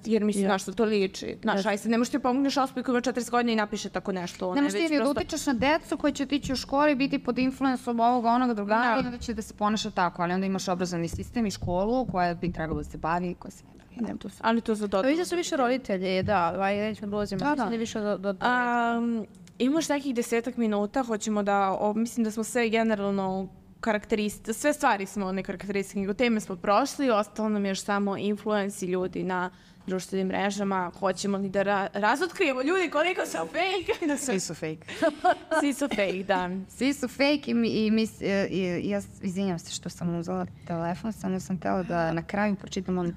Jer mislim, na što to liči. Znaš, aj sad ne možeš ti pomogneš osobi koja ima 40 godina i napiše tako nešto. Ne možeš ti da utičeš na decu koji će otići u školi, biti pod influensom ovoga, onoga, drugara i onda će da se ponaša tako. Ali onda imaš obrazovni sistem i školu koja bi trebalo da se bavi, koja se ne bavi. Ali to za dodatno. Vidite su više roditelji, da. Nećemo da ulazimo. Imaš nekih 10 minuta, hoćemo da, mislim da smo sve generalno sve stvari smo one karakteristike, teme smo prošli, ostalo nam je još samo influenci ljudi na društvenim mrežama, hoćemo li da razotkrijemo ljudi koliko su fake? Svi su fake. Svi su fake, da. Svi su fake i ja izvinjam se što sam uzela telefon, samo sam htjela da na kraju pročitam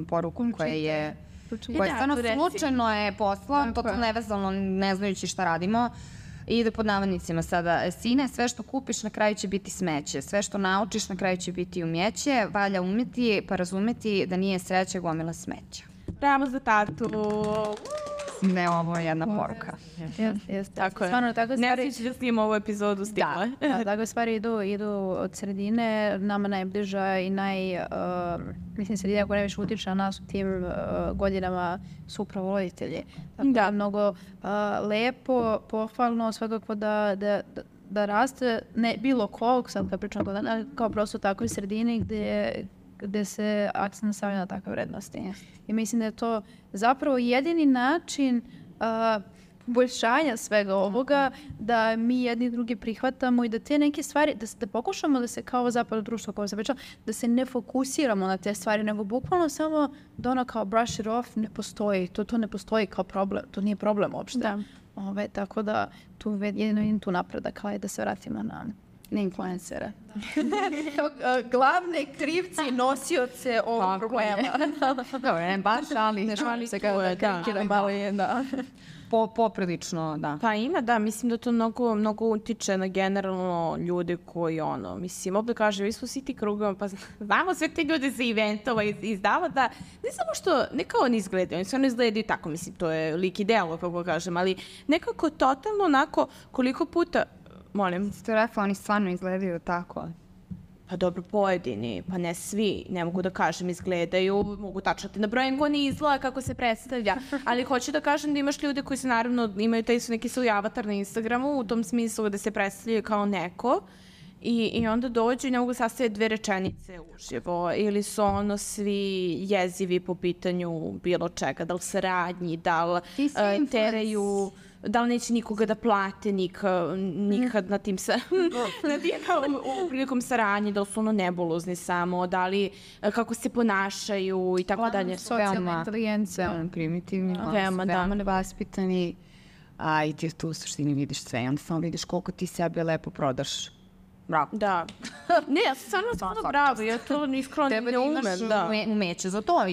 poruku koja je stvarno slučajno je poslala, totalno nevezano, ne znajući šta radimo. I ide pod navodnicima sada. Sine, sve što kupiš na kraju će biti smeće. Sve što naučiš na kraju će biti umjeće. Valja umjeti pa razumeti da nije sreća gomila smeća. Bravo za tatu. Ne, ovo je jedna poruka. Tako je. Ne sviđa da snimamo ovu epizodu s time. Da, takve stvari idu od sredine. Nama najbliža i mislim, sredina koja najviše utiče na nas u tim godinama su upravo roditelji. Da, mnogo lepo, pohvalno, svakako da raste, ne bilo kog, sad kad pričam kao prosto takvoj sredini gdje gde se akcent stavlja na takve vrednosti. I mislim da je to zapravo jedini način poboljšanja svega ovoga, da mi jedni drugi prihvatamo i da te neke stvari, da pokušamo da se kao zapravo društvo, kao se pričalo, da se ne fokusiramo na te stvari, nego bukvalno samo da ono kao brush it off ne postoji. To ne postoji kao problem. To nije problem uopšte. Da. Tako da jedino vidim tu napredak, kao je da se vratimo na influencere. Glavne krivci, nosioce ovog problema. Dobro, ne baš, ali Ne šalim se kao da karikiram, ali da. Poprilično, da. Pa ima, da, mislim da to mnogo utiče na generalno ljude koji, mislim, ovdje kaže, mi smo svi ti krugama, pa znamo sve te ljude za eventova iz zavoda, ne samo što, ne kao oni izgledaju, oni stvarno izgledaju tako, mislim, to je lik i delo, kako kažem, ali nekako totalno onako, koliko puta, molim. Ste rekla, oni stvarno izgledaju tako. Pa dobro, pojedini, pa ne svi, ne mogu da kažem, izgledaju, mogu tačati na brojem ko ne izgleda kako se predstavlja, ali hoću da kažem da imaš ljude koji se naravno imaju taj neki svoj avatar na Instagramu u tom smislu da se predstavljaju kao neko i onda dođu i ne mogu sastaviti 2 rečenice uživo ili su svi jezivi po pitanju bilo čega, da li saradnji, da li teraju... Da li neće nikoga da plate nikad na tim u prilikom saradnje, da li su nebulozni samo, da li kako se ponašaju i tako dalje. Socijalna inteligencija. Primitivni, veoma nevaspitani, a i ti tu u suštini vidiš sve i onda samo vidiš koliko ti sebe lepo prodaš. Bravo. Da. Ne, ja sam stvarno bravo, ja to iskreno ne umem. Umeće za to.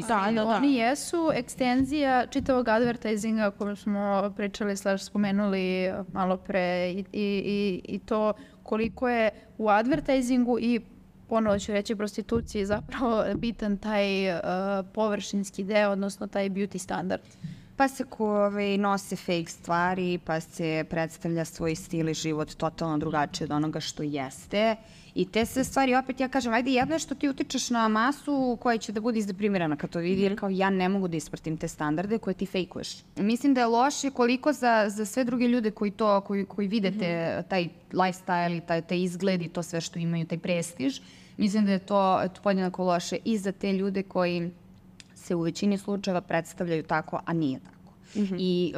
Oni jesu ekstenzija čitavog advertisinga o kojem smo pričali, spomenuli malo pre i to koliko je u advertisingu i ponovo ću reći prostituciji zapravo bitan taj površinski deo, odnosno taj beauty standard. Pa se nose fake stvari, pa se predstavlja svoj stil i život totalno drugačije od onoga što jeste. I te sve stvari, opet ja kažem, ajde jedno je što ti utičeš na masu koja će da bude izdeprimirana kad to vidi, jer kao ja ne mogu da ispratim te standarde koje ti fejkuješ. Mislim da je loše koliko za sve druge ljude koji vide taj lifestyle i taj izgled i to sve što imaju, taj prestiž. Mislim da je to podjednako loše i za te ljude koji se u većini slučajeva predstavljaju tako, a nije tako. I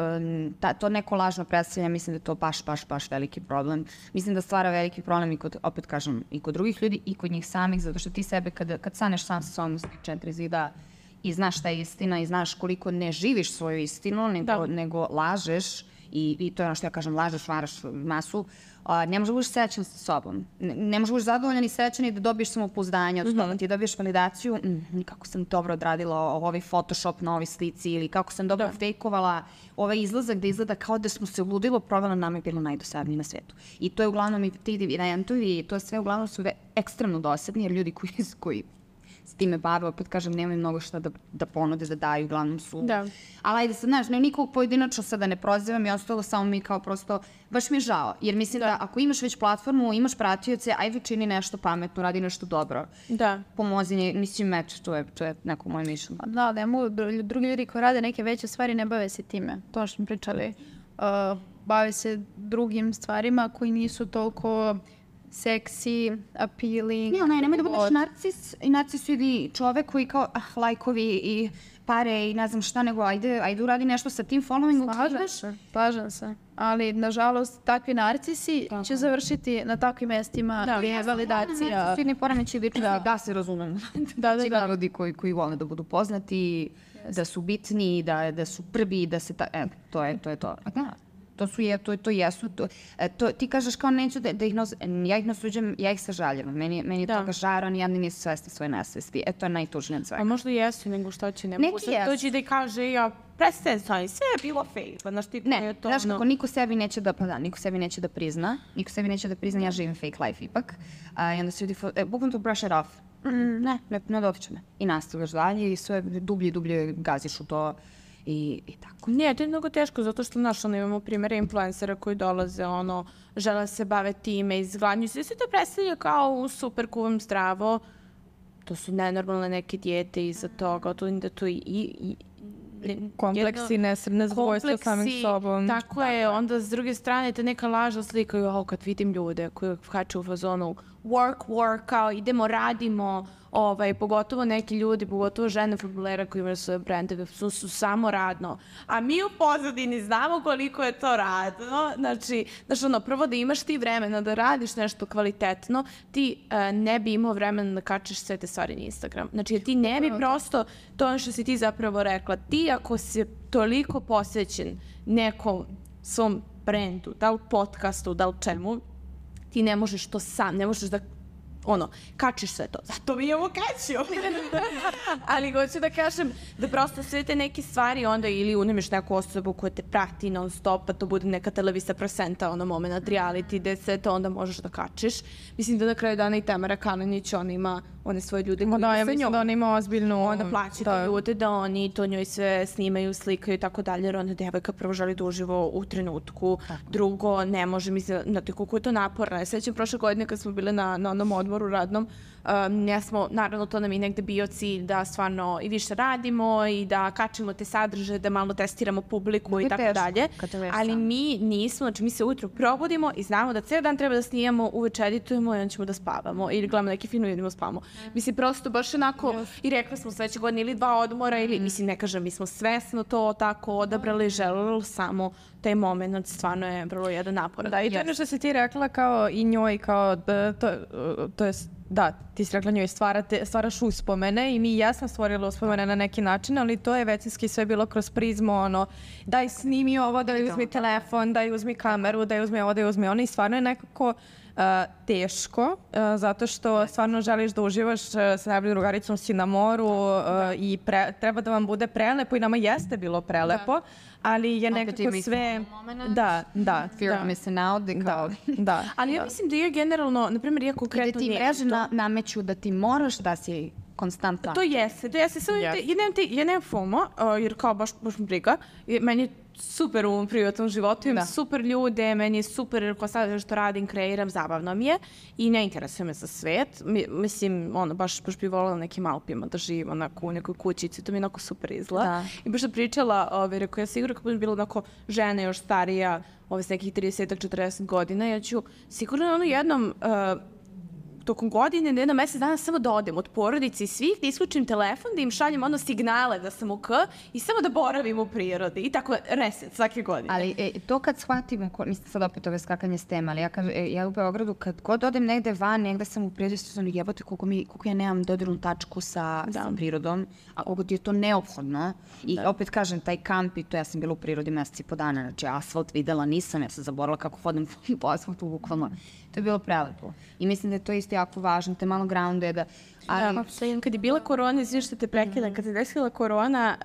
to neko lažno predstavljanje, mislim da je to baš veliki problem. Mislim da stvara veliki problem i kod, opet kažem, i kod drugih ljudi i kod njih samih, zato što ti sebe kad staneš sam sa sobom s 4 zida i znaš šta je istina i znaš koliko ne živiš svoju istinu, nego lažeš i to je ono što ja kažem, lažeš, varaš masu, ne možeš da budeš srećan sa sobom. Ne možeš da budeš zadovoljan i srećan i da dobiješ samopouzdanje, od toga ti dobiješ validaciju, kako sam dobro odradila ovaj Photoshop na ovoj slici ili kako sam dobro fejkovala ovaj izlazak da izgleda kao da smo se uludilo, provela nama je bilo najdosadnije na svetu. I to je uglavnom i ti eventovi i to sve uglavnom su ekstremno dosadni jer ljudi koji s time bave, opet kažem, nemaju mnogo šta da ponude, da daju, uglavnom su. Da. Ali ajde sad, znaš, nikog pojedinačno sada ne prozivam i ostalo samo mi kao prosto, baš mi je žao, jer mislim da ako imaš već platformu, imaš pratioce, ajde čini nešto pametno, radi nešto dobro. Da. Pomozi, mislim, to je neko moje mišljenje. Da, ne mogu, drugi ljudi koji rade neke veće stvari ne bave se time, to što smo pričali. Bave se drugim stvarima koji nisu toliko seksi, appealing. Ne, nemoj da budeš narcis i narcis vidi čovek koji kao lajkovi i pare i ne znam šta, nego ajde uradi nešto sa tim followingom. Slažem se. Ali, nažalost, takvi narcisi će završiti na takvim mestima gdje je validacija. Narcisni poremećaj ličnosti, da se razumem. Svi narodi koji vole da budu poznati, da su bitni, da su prvi, da se to je to. To jesu. Ti kažeš kao neću da ih nosim, ja ih nasuđem, ja ih sažaljavam. Meni je toga žara, oni jedni nisu svesni svoje nesvesti. To je najtužnije od svega. A možda jesu, nego što će, ne mogu sad doći da ih kaže, ja prestajem sa ovim, sve je bilo fake. Ne, znaš kako, niko sebi neće da prizna, ja živim fake life ipak. I onda se ljudi, bukvalno to brush it off. Ne dotiče me. I nastavljaš dalje i sve dublje i dublje gaziš u to. I tako. Ne, to je mnogo teško, zato što, imamo primjere influencera koji dolaze, žele se bave time, izgladnju se, sve to predstavlja kao super kuvam zdravo. To su nenormalne neke dijete iza toga, to i kompleksi, nezadovoljstvo samim sobom. Tako je, onda s druge strane te neka lažna slika, kad vidim ljude koji hače u fazonu, work, kao idemo, radimo, pogotovo neki ljudi, pogotovo žene fudbalera koji imaju svoje brendove, su samo radno. A mi u pozadini znamo koliko je to radno. Znači, prvo da imaš ti vremena da radiš nešto kvalitetno, ti ne bi imao vremena da kačiš sve te stvari na Instagram. Znači, ti ne bi prosto, to ono što si ti zapravo rekla, ti ako si toliko posvećen nekom svom brendu, da li podcastu, da li čemu, ti ne možeš to sam, ne možeš da kačiš sve to. Zato mi ovo kačio. Ali hoću da kažem da prosto sve te neke stvari onda ili unemiš neku osobu koja te prati non stop, pa to bude neka televizija prosenta, moment reality, gde sve to onda možeš da kačiš. Mislim da na kraju dana i Tamara Kalinić, ona ima one svoje ljude koji ja mislim da ona ima ozbiljnu... Onda plaćate ljude da oni to njoj sve snimaju, slikaju i tako dalje, jer onda devojka prvo želi da uživo u trenutku, drugo ne može, mislim, znate koliko je to naporno. Ja sećam prošle godine kad smo bile na onom odmoru radnom, naravno to nam je negde bio cilj da stvarno i više radimo i da kačimo te sadržaje, da malo testiramo publiku i tako dalje. Ali mi nismo, znači mi se ujutro probudimo i znamo da cijel dan treba da snimamo, uveče editujemo i onda ćemo da spavamo ili gledamo neki film i idemo spavamo. Mislim, prosto baš onako i rekli smo sledeće godine ili 2 odmora ili, mislim, ne kažem, mi smo svesno to tako odabrali, želeli samo taj moment, stvarno je vrlo jedan naporan. Da, i to je ono što si ti rekla kao i njoj, kao, to je da, ti si rekla njoj stvaraš uspomene i mi jesam stvorila uspomene na neki način, ali to je većinski sve bilo kroz prizmu, daj snimi ovo, daj uzmi telefon, daj uzmi kameru, daj uzmi ovo, daj uzmi ono i stvarno je nekako teško, zato što stvarno želiš da uživaš sa najboljom drugaricom, si na moru i treba da vam bude prelepo i nama jeste bilo prelepo, ali je nekako sve... Da. Fear of missing out. Da. Ali ja mislim da je generalno, na primjer, ja konkretno... I da ti mreže nameću da ti moraš da si konstantna. To jeste. Samo ja nemam FOMO, jer kao baš mi briga. Meni je super u privatnom životu, imam super ljude, meni je super ko sad što radim, kreiram, zabavno mi je i ne interesuje me za svet. Mislim, baš bi voljela nekim Alpima da živim onako u nekoj kućici, to mi je onako super izgleda. I baš da pričala, rekao ja sigurno kako bi bila onako žena još starija, s nekih 30-40 godina, ja ću sigurno jednom tokom godine, jedno mesec dana samo da odem od porodice i svih, da isključim telefon, da im šaljem signale da sam i samo da boravim u prirodi. I tako reset svake godine. Ali to kad shvatim, mislim sad opet ove skakanje s tema, ali ja u Beogradu kad god odem negde van, negde sam u prirodi, sam jebote koliko ja nemam dodirnu tačku sa prirodom, a koliko ti je to neophodno. I opet kažem, taj kamp i to, ja sam bila u prirodi mesec i po dana, znači asfalt videla nisam, ja sam zaboravila kako hodam po asfaltu bukvalno. To je bilo prelepo. I mislim da je to isto jako važno, te malo grounded. Kad je bila korona, izvijem što te prekidam, kad se desila korona,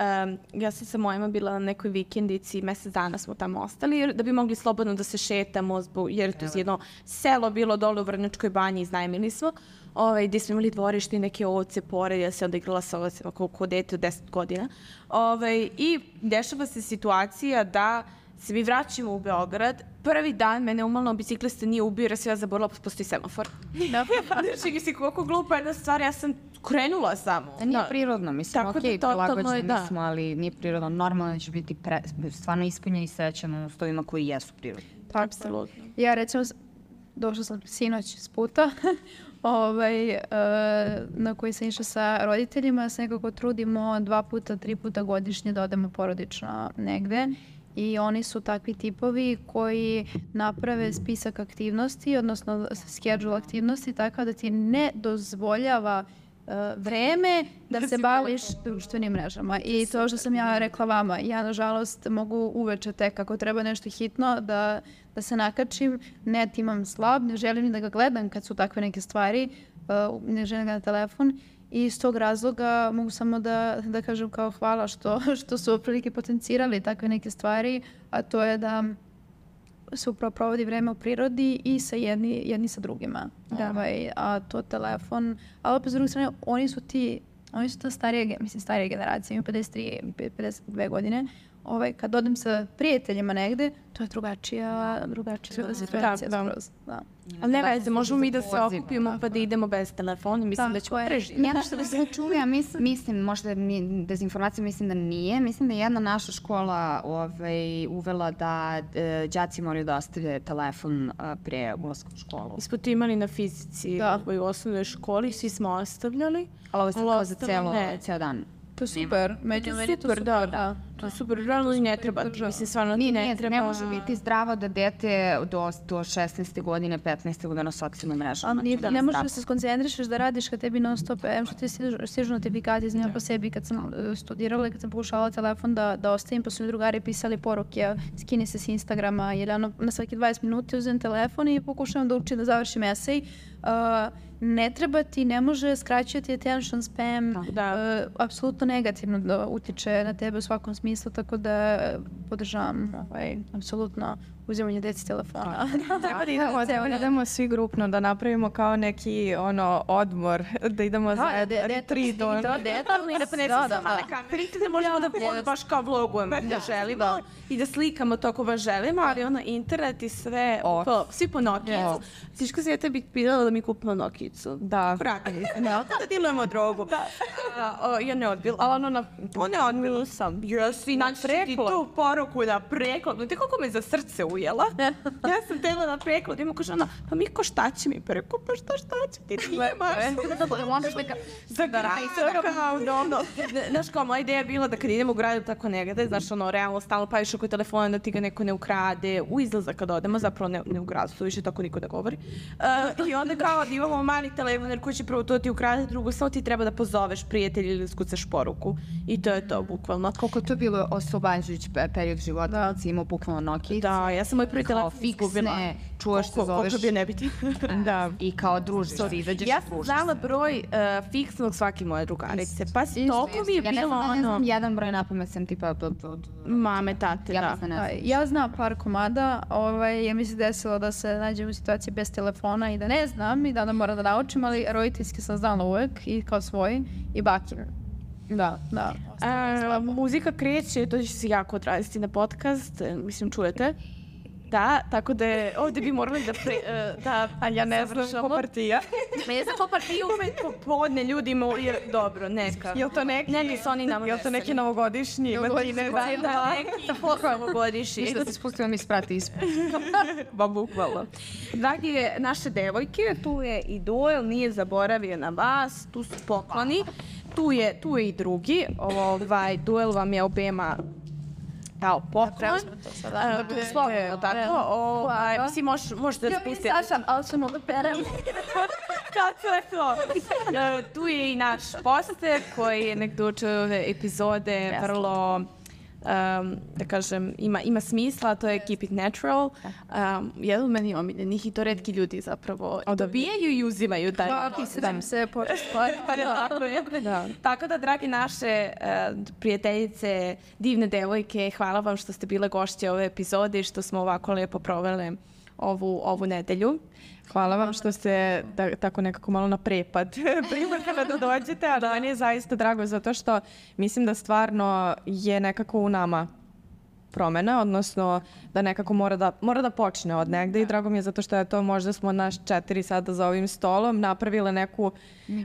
ja sam sa mojima bila na nekoj vikendici, mesec dana smo tamo ostali, da bi mogli slobodno da se šetamo, jer to je jedno selo bilo dole u Vrnjačkoj banji, iznajmili smo, gdje smo imali dvorište i neke ovce pored, ja se onda igrala sa ovcima kao dete od 10 godina. I dešava se situacija da se mi vraćamo u Beograd, prvi dan mene umalno biciklista nije ubio jer se ja zaborila, postoji semafor. Znači, mislim, koliko glupa jedna stvar, ja sam krenula samo. Nije prirodno, mislim, okej, prilagođeni smo, ali nije prirodno. Normalno da će biti stvarno ispunjeni i srećan s ovima koji jesu prirodni. Apsolutno. Ja recimo, došla sam sinoć s puta, na koji sam išla sa roditeljima, se nekako trudimo 2 puta, 3 puta godišnje da odemo porodično negde. I oni su takvi tipovi koji naprave spisak aktivnosti, odnosno schedule aktivnosti, tako da ti ne dozvoljava vreme da se baviš društvenim mrežama. I to što sam ja rekla vama, ja nažalost mogu uveče tek ako treba nešto hitno da se nakačim, net imam slab, ne želim ni da ga gledam kad su takve neke stvari, ne želim ga na telefon. I iz tog razloga mogu samo da kažem kao hvala što su otprilike potencirali takve neke stvari, a to je da se upravo provodi vreme u prirodi i sa jedni sa drugima. A to telefon, ali opet s druge strane, oni su ta starije generacije, imaju 53, 52 godine, kad odem sa prijateljima negde, to je drugačija situacija skroz. Da. Ali ne veze, možemo mi da se okupimo pa da idemo bez telefona, mislim da ćemo preživjeti. Jedno što da se čuli, ja mislim, možda dezinformacija mislim da nije, mislim da je jedna naša škola uvela da đaci moraju da ostavljaju telefon pre ulaska u školu. Mi smo to imali na fizici u osnovnoj školi, svi smo ostavljali. Ali ovo je kao za ceo dan. To je super. To je super, realno i ne treba. Mislim, stvarno ne treba. Ne može biti zdravo da dete do 16. godine, 15. godine na socijalnim mrežama. Ne možeš da se skoncentrišeš da radiš kad tebi non stop, što ti stižu notifikacije, znam po sebi kad sam studirala i kad sam pokušavala telefon da ostavim, pa su mi drugari pisali poruke, skini se s Instagrama, jer na svaki 20 minuta uzem telefon i pokušavam da učim da završim esej. Ne treba ti, ne može skraćati attention span, apsolutno negativno da utiče na tebe u svakom smislu, tako da podržavam apsolutno uzimanje deci telefona. Treba da idemo svi grupno, da napravimo kao neki odmor, da idemo za retreat. Da možemo da baš kao vlogujemo da želimo i da slikamo to ako baš želimo, ali internet i sve, svi po Nokijicu. Siško se ja tebi pitala da mi kupimo Nokijicu. Da. Pratili se. Da dilujemo drogu. Ja ne odbila, ali ne odbila sam. Jesi, naći ti tu poruku da preklad. Te koliko me za srce ujela. Ja sam tela da preklad. Ima kaže ona, pa Miko šta će mi preko? Pa šta će ti? Ti imaš. Za grajca. Znaš kao, moja ideja je bila da kad idemo u gradu tako negde, znaš realno stalno paviš oko telefona da ti ga neko ne ukrade. U izlazak kad odemo, zapravo ne u gradu, to više tako niko da govori. I onda kao da imamo mali telefon jer koji će prvo to ti ukrade, drugo samo ti treba da pozoveš prijatelja ili skucaš poruku. I to je to, bukvalno. Koliko to je bilo oslobađajući period života kad si imao bukvalno Nokijicu? Da, ja sam moj prvi telefon izgubila. Čuvaš se zoveš. Koliko bi ne biti. Da. I kao družiš se, izađeš. Ja sam znala broj fiksnog svake moje drugarice. Pa toliko mi je bilo ne znam jedan broj napamet sam tipa mame, tate, da. Ja znam par komada, ja mi se desilo da se nađem u situaciji bez telefona i da ne znam i da moram da naučim, ali roditeljski sam znala uvek i kao svoj i bakir. Da. Muzika kreće, to će se jako odraziti na podcast, mislim čujete. Da, tako da ovdje bi morali da a ja ne znam ko partija. Ne znam ko partija, uvijek popodne ljudi imaju, jer dobro, neka. Je li to neki? Ne, su oni nama. Je li to neki novogodišnji? Da, neki novogodišnji. Da se spustila mi sprati ispred. Ba, bukvalno. Dragi naše devojke, tu je i Duel, nije zaboravio na vas, tu su pokloni. Tu je i drugi, Duel vam je obema kao poklon. Slobodno tako. Svi možete da spustiti. Ja sam, ali sam onda perem. Kako je to? Tu je i naš poster koji je nekdo učeo ove epizode vrlo, da kažem, ima smisla, to je Keep It Natural. Jedan od meni omiljenih i to retki ljudi zapravo dobijaju i uzimaju. Pisadam se Tako da, dragi naše prijateljice, divne devojke, hvala vam što ste bile gošće ove epizode i što smo ovako lepo provele ovu nedelju. Hvala vam što ste tako nekako malo na prepad primakala da dođete, a da meni je zaista drago zato što mislim da stvarno je nekako u nama promena, odnosno da nekako mora da počne od negde i drago mi je zato što je to možda smo naš 4 sada za ovim stolom napravile neku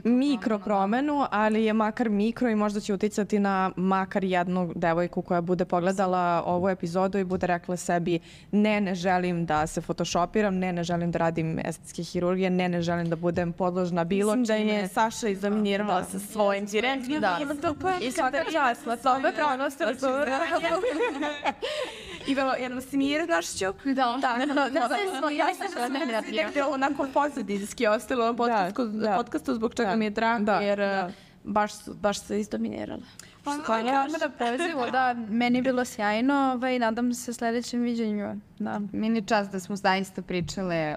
mikro promenu, ali je makar mikro i možda će uticati na makar jednu devojku koja bude pogledala ovu epizodu i bude rekla sebi ne želim da se photoshopiram, ne želim da radim estetske hirurgije, ne želim da budem podložna bilo čime. Mislim da je Saša izdominirala sa svojim direktnim. I svaka časla, sa ove pronosti. I bilo jednom smirnošću. Ja sam negdje onako pozadinski ostalo u podcastu zbog čega mi je drago, jer baš se izdominirala. Da, meni je bilo sjajno i nadam se sljedećem viđenju. Meni je čast da smo zaista pričale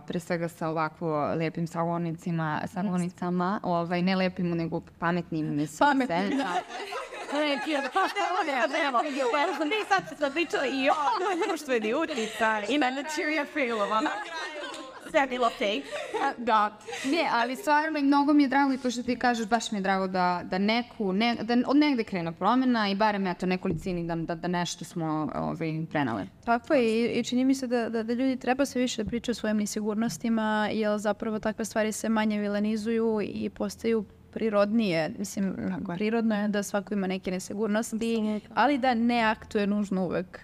pre svega sa ovako lepim sagonicama, ne lepim nego pametnim. Pametnim, da. Sad se pričala i o društveni utjecaj i na materija failova. Sve bilo fake. Da. Ne, ali stvarno mnogo mi je drago i to što ti kažeš, baš mi je drago da od negde krene promjena i barem eto nekolicini da nešto smo prenale. Tako je i čini mi se da ljudi treba se više da pričaju o svojim nesigurnostima, jer zapravo takve stvari se manje vilanizuju i postaju prirodnije. Mislim, prirodno je da svako ima neke nesigurnosti, ali da ne aktuje nužno uvek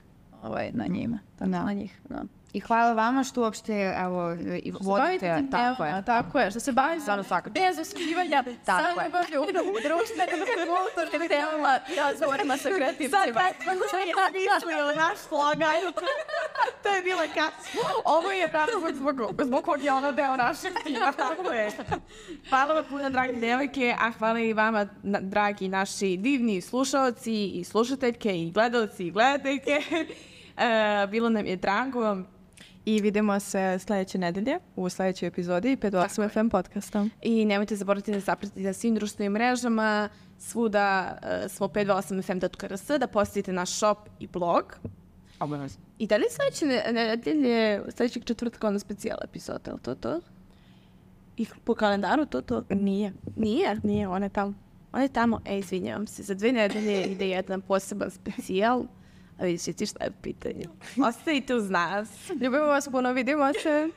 na njima. Na njih, da. I hvala vama što uopšte, vodite, tako je, što se bavi stvarno svaka bez oskivanja, tako je. društvenim kulturnim temama, razgovorima sa kreativcima. Naš slogan. To je bila ovo je razlog zbog kog je ono deo našeg tima. Tako je. Hvala vam puno, dragi devojke, a hvala i vama, dragi naši divni slušaoci i slušateljke i gledalci i gledateljke. Bilo nam je drago. I vidimo se sljedeće nedelje u sljedećoj epizodi 528 FM podcasta. I nemojte zaboraviti da zapratite na svim društvenim mrežama. Svuda smo 528fm.rs, da posjetite naš shop i blog. Obavezno. I da li sljedeće nedelje, sljedećeg četvrtka ono specijal epizoda, je li to? I po kalendaru to? Nije. Nije? Nije, on je tamo. On je tamo, izvinjavam se, za 2 nedelje ide jedan poseban specijal. A vidite ti šta je u pitanju. Ostavite uz nas. Ljubimo vas puno, vidimo se.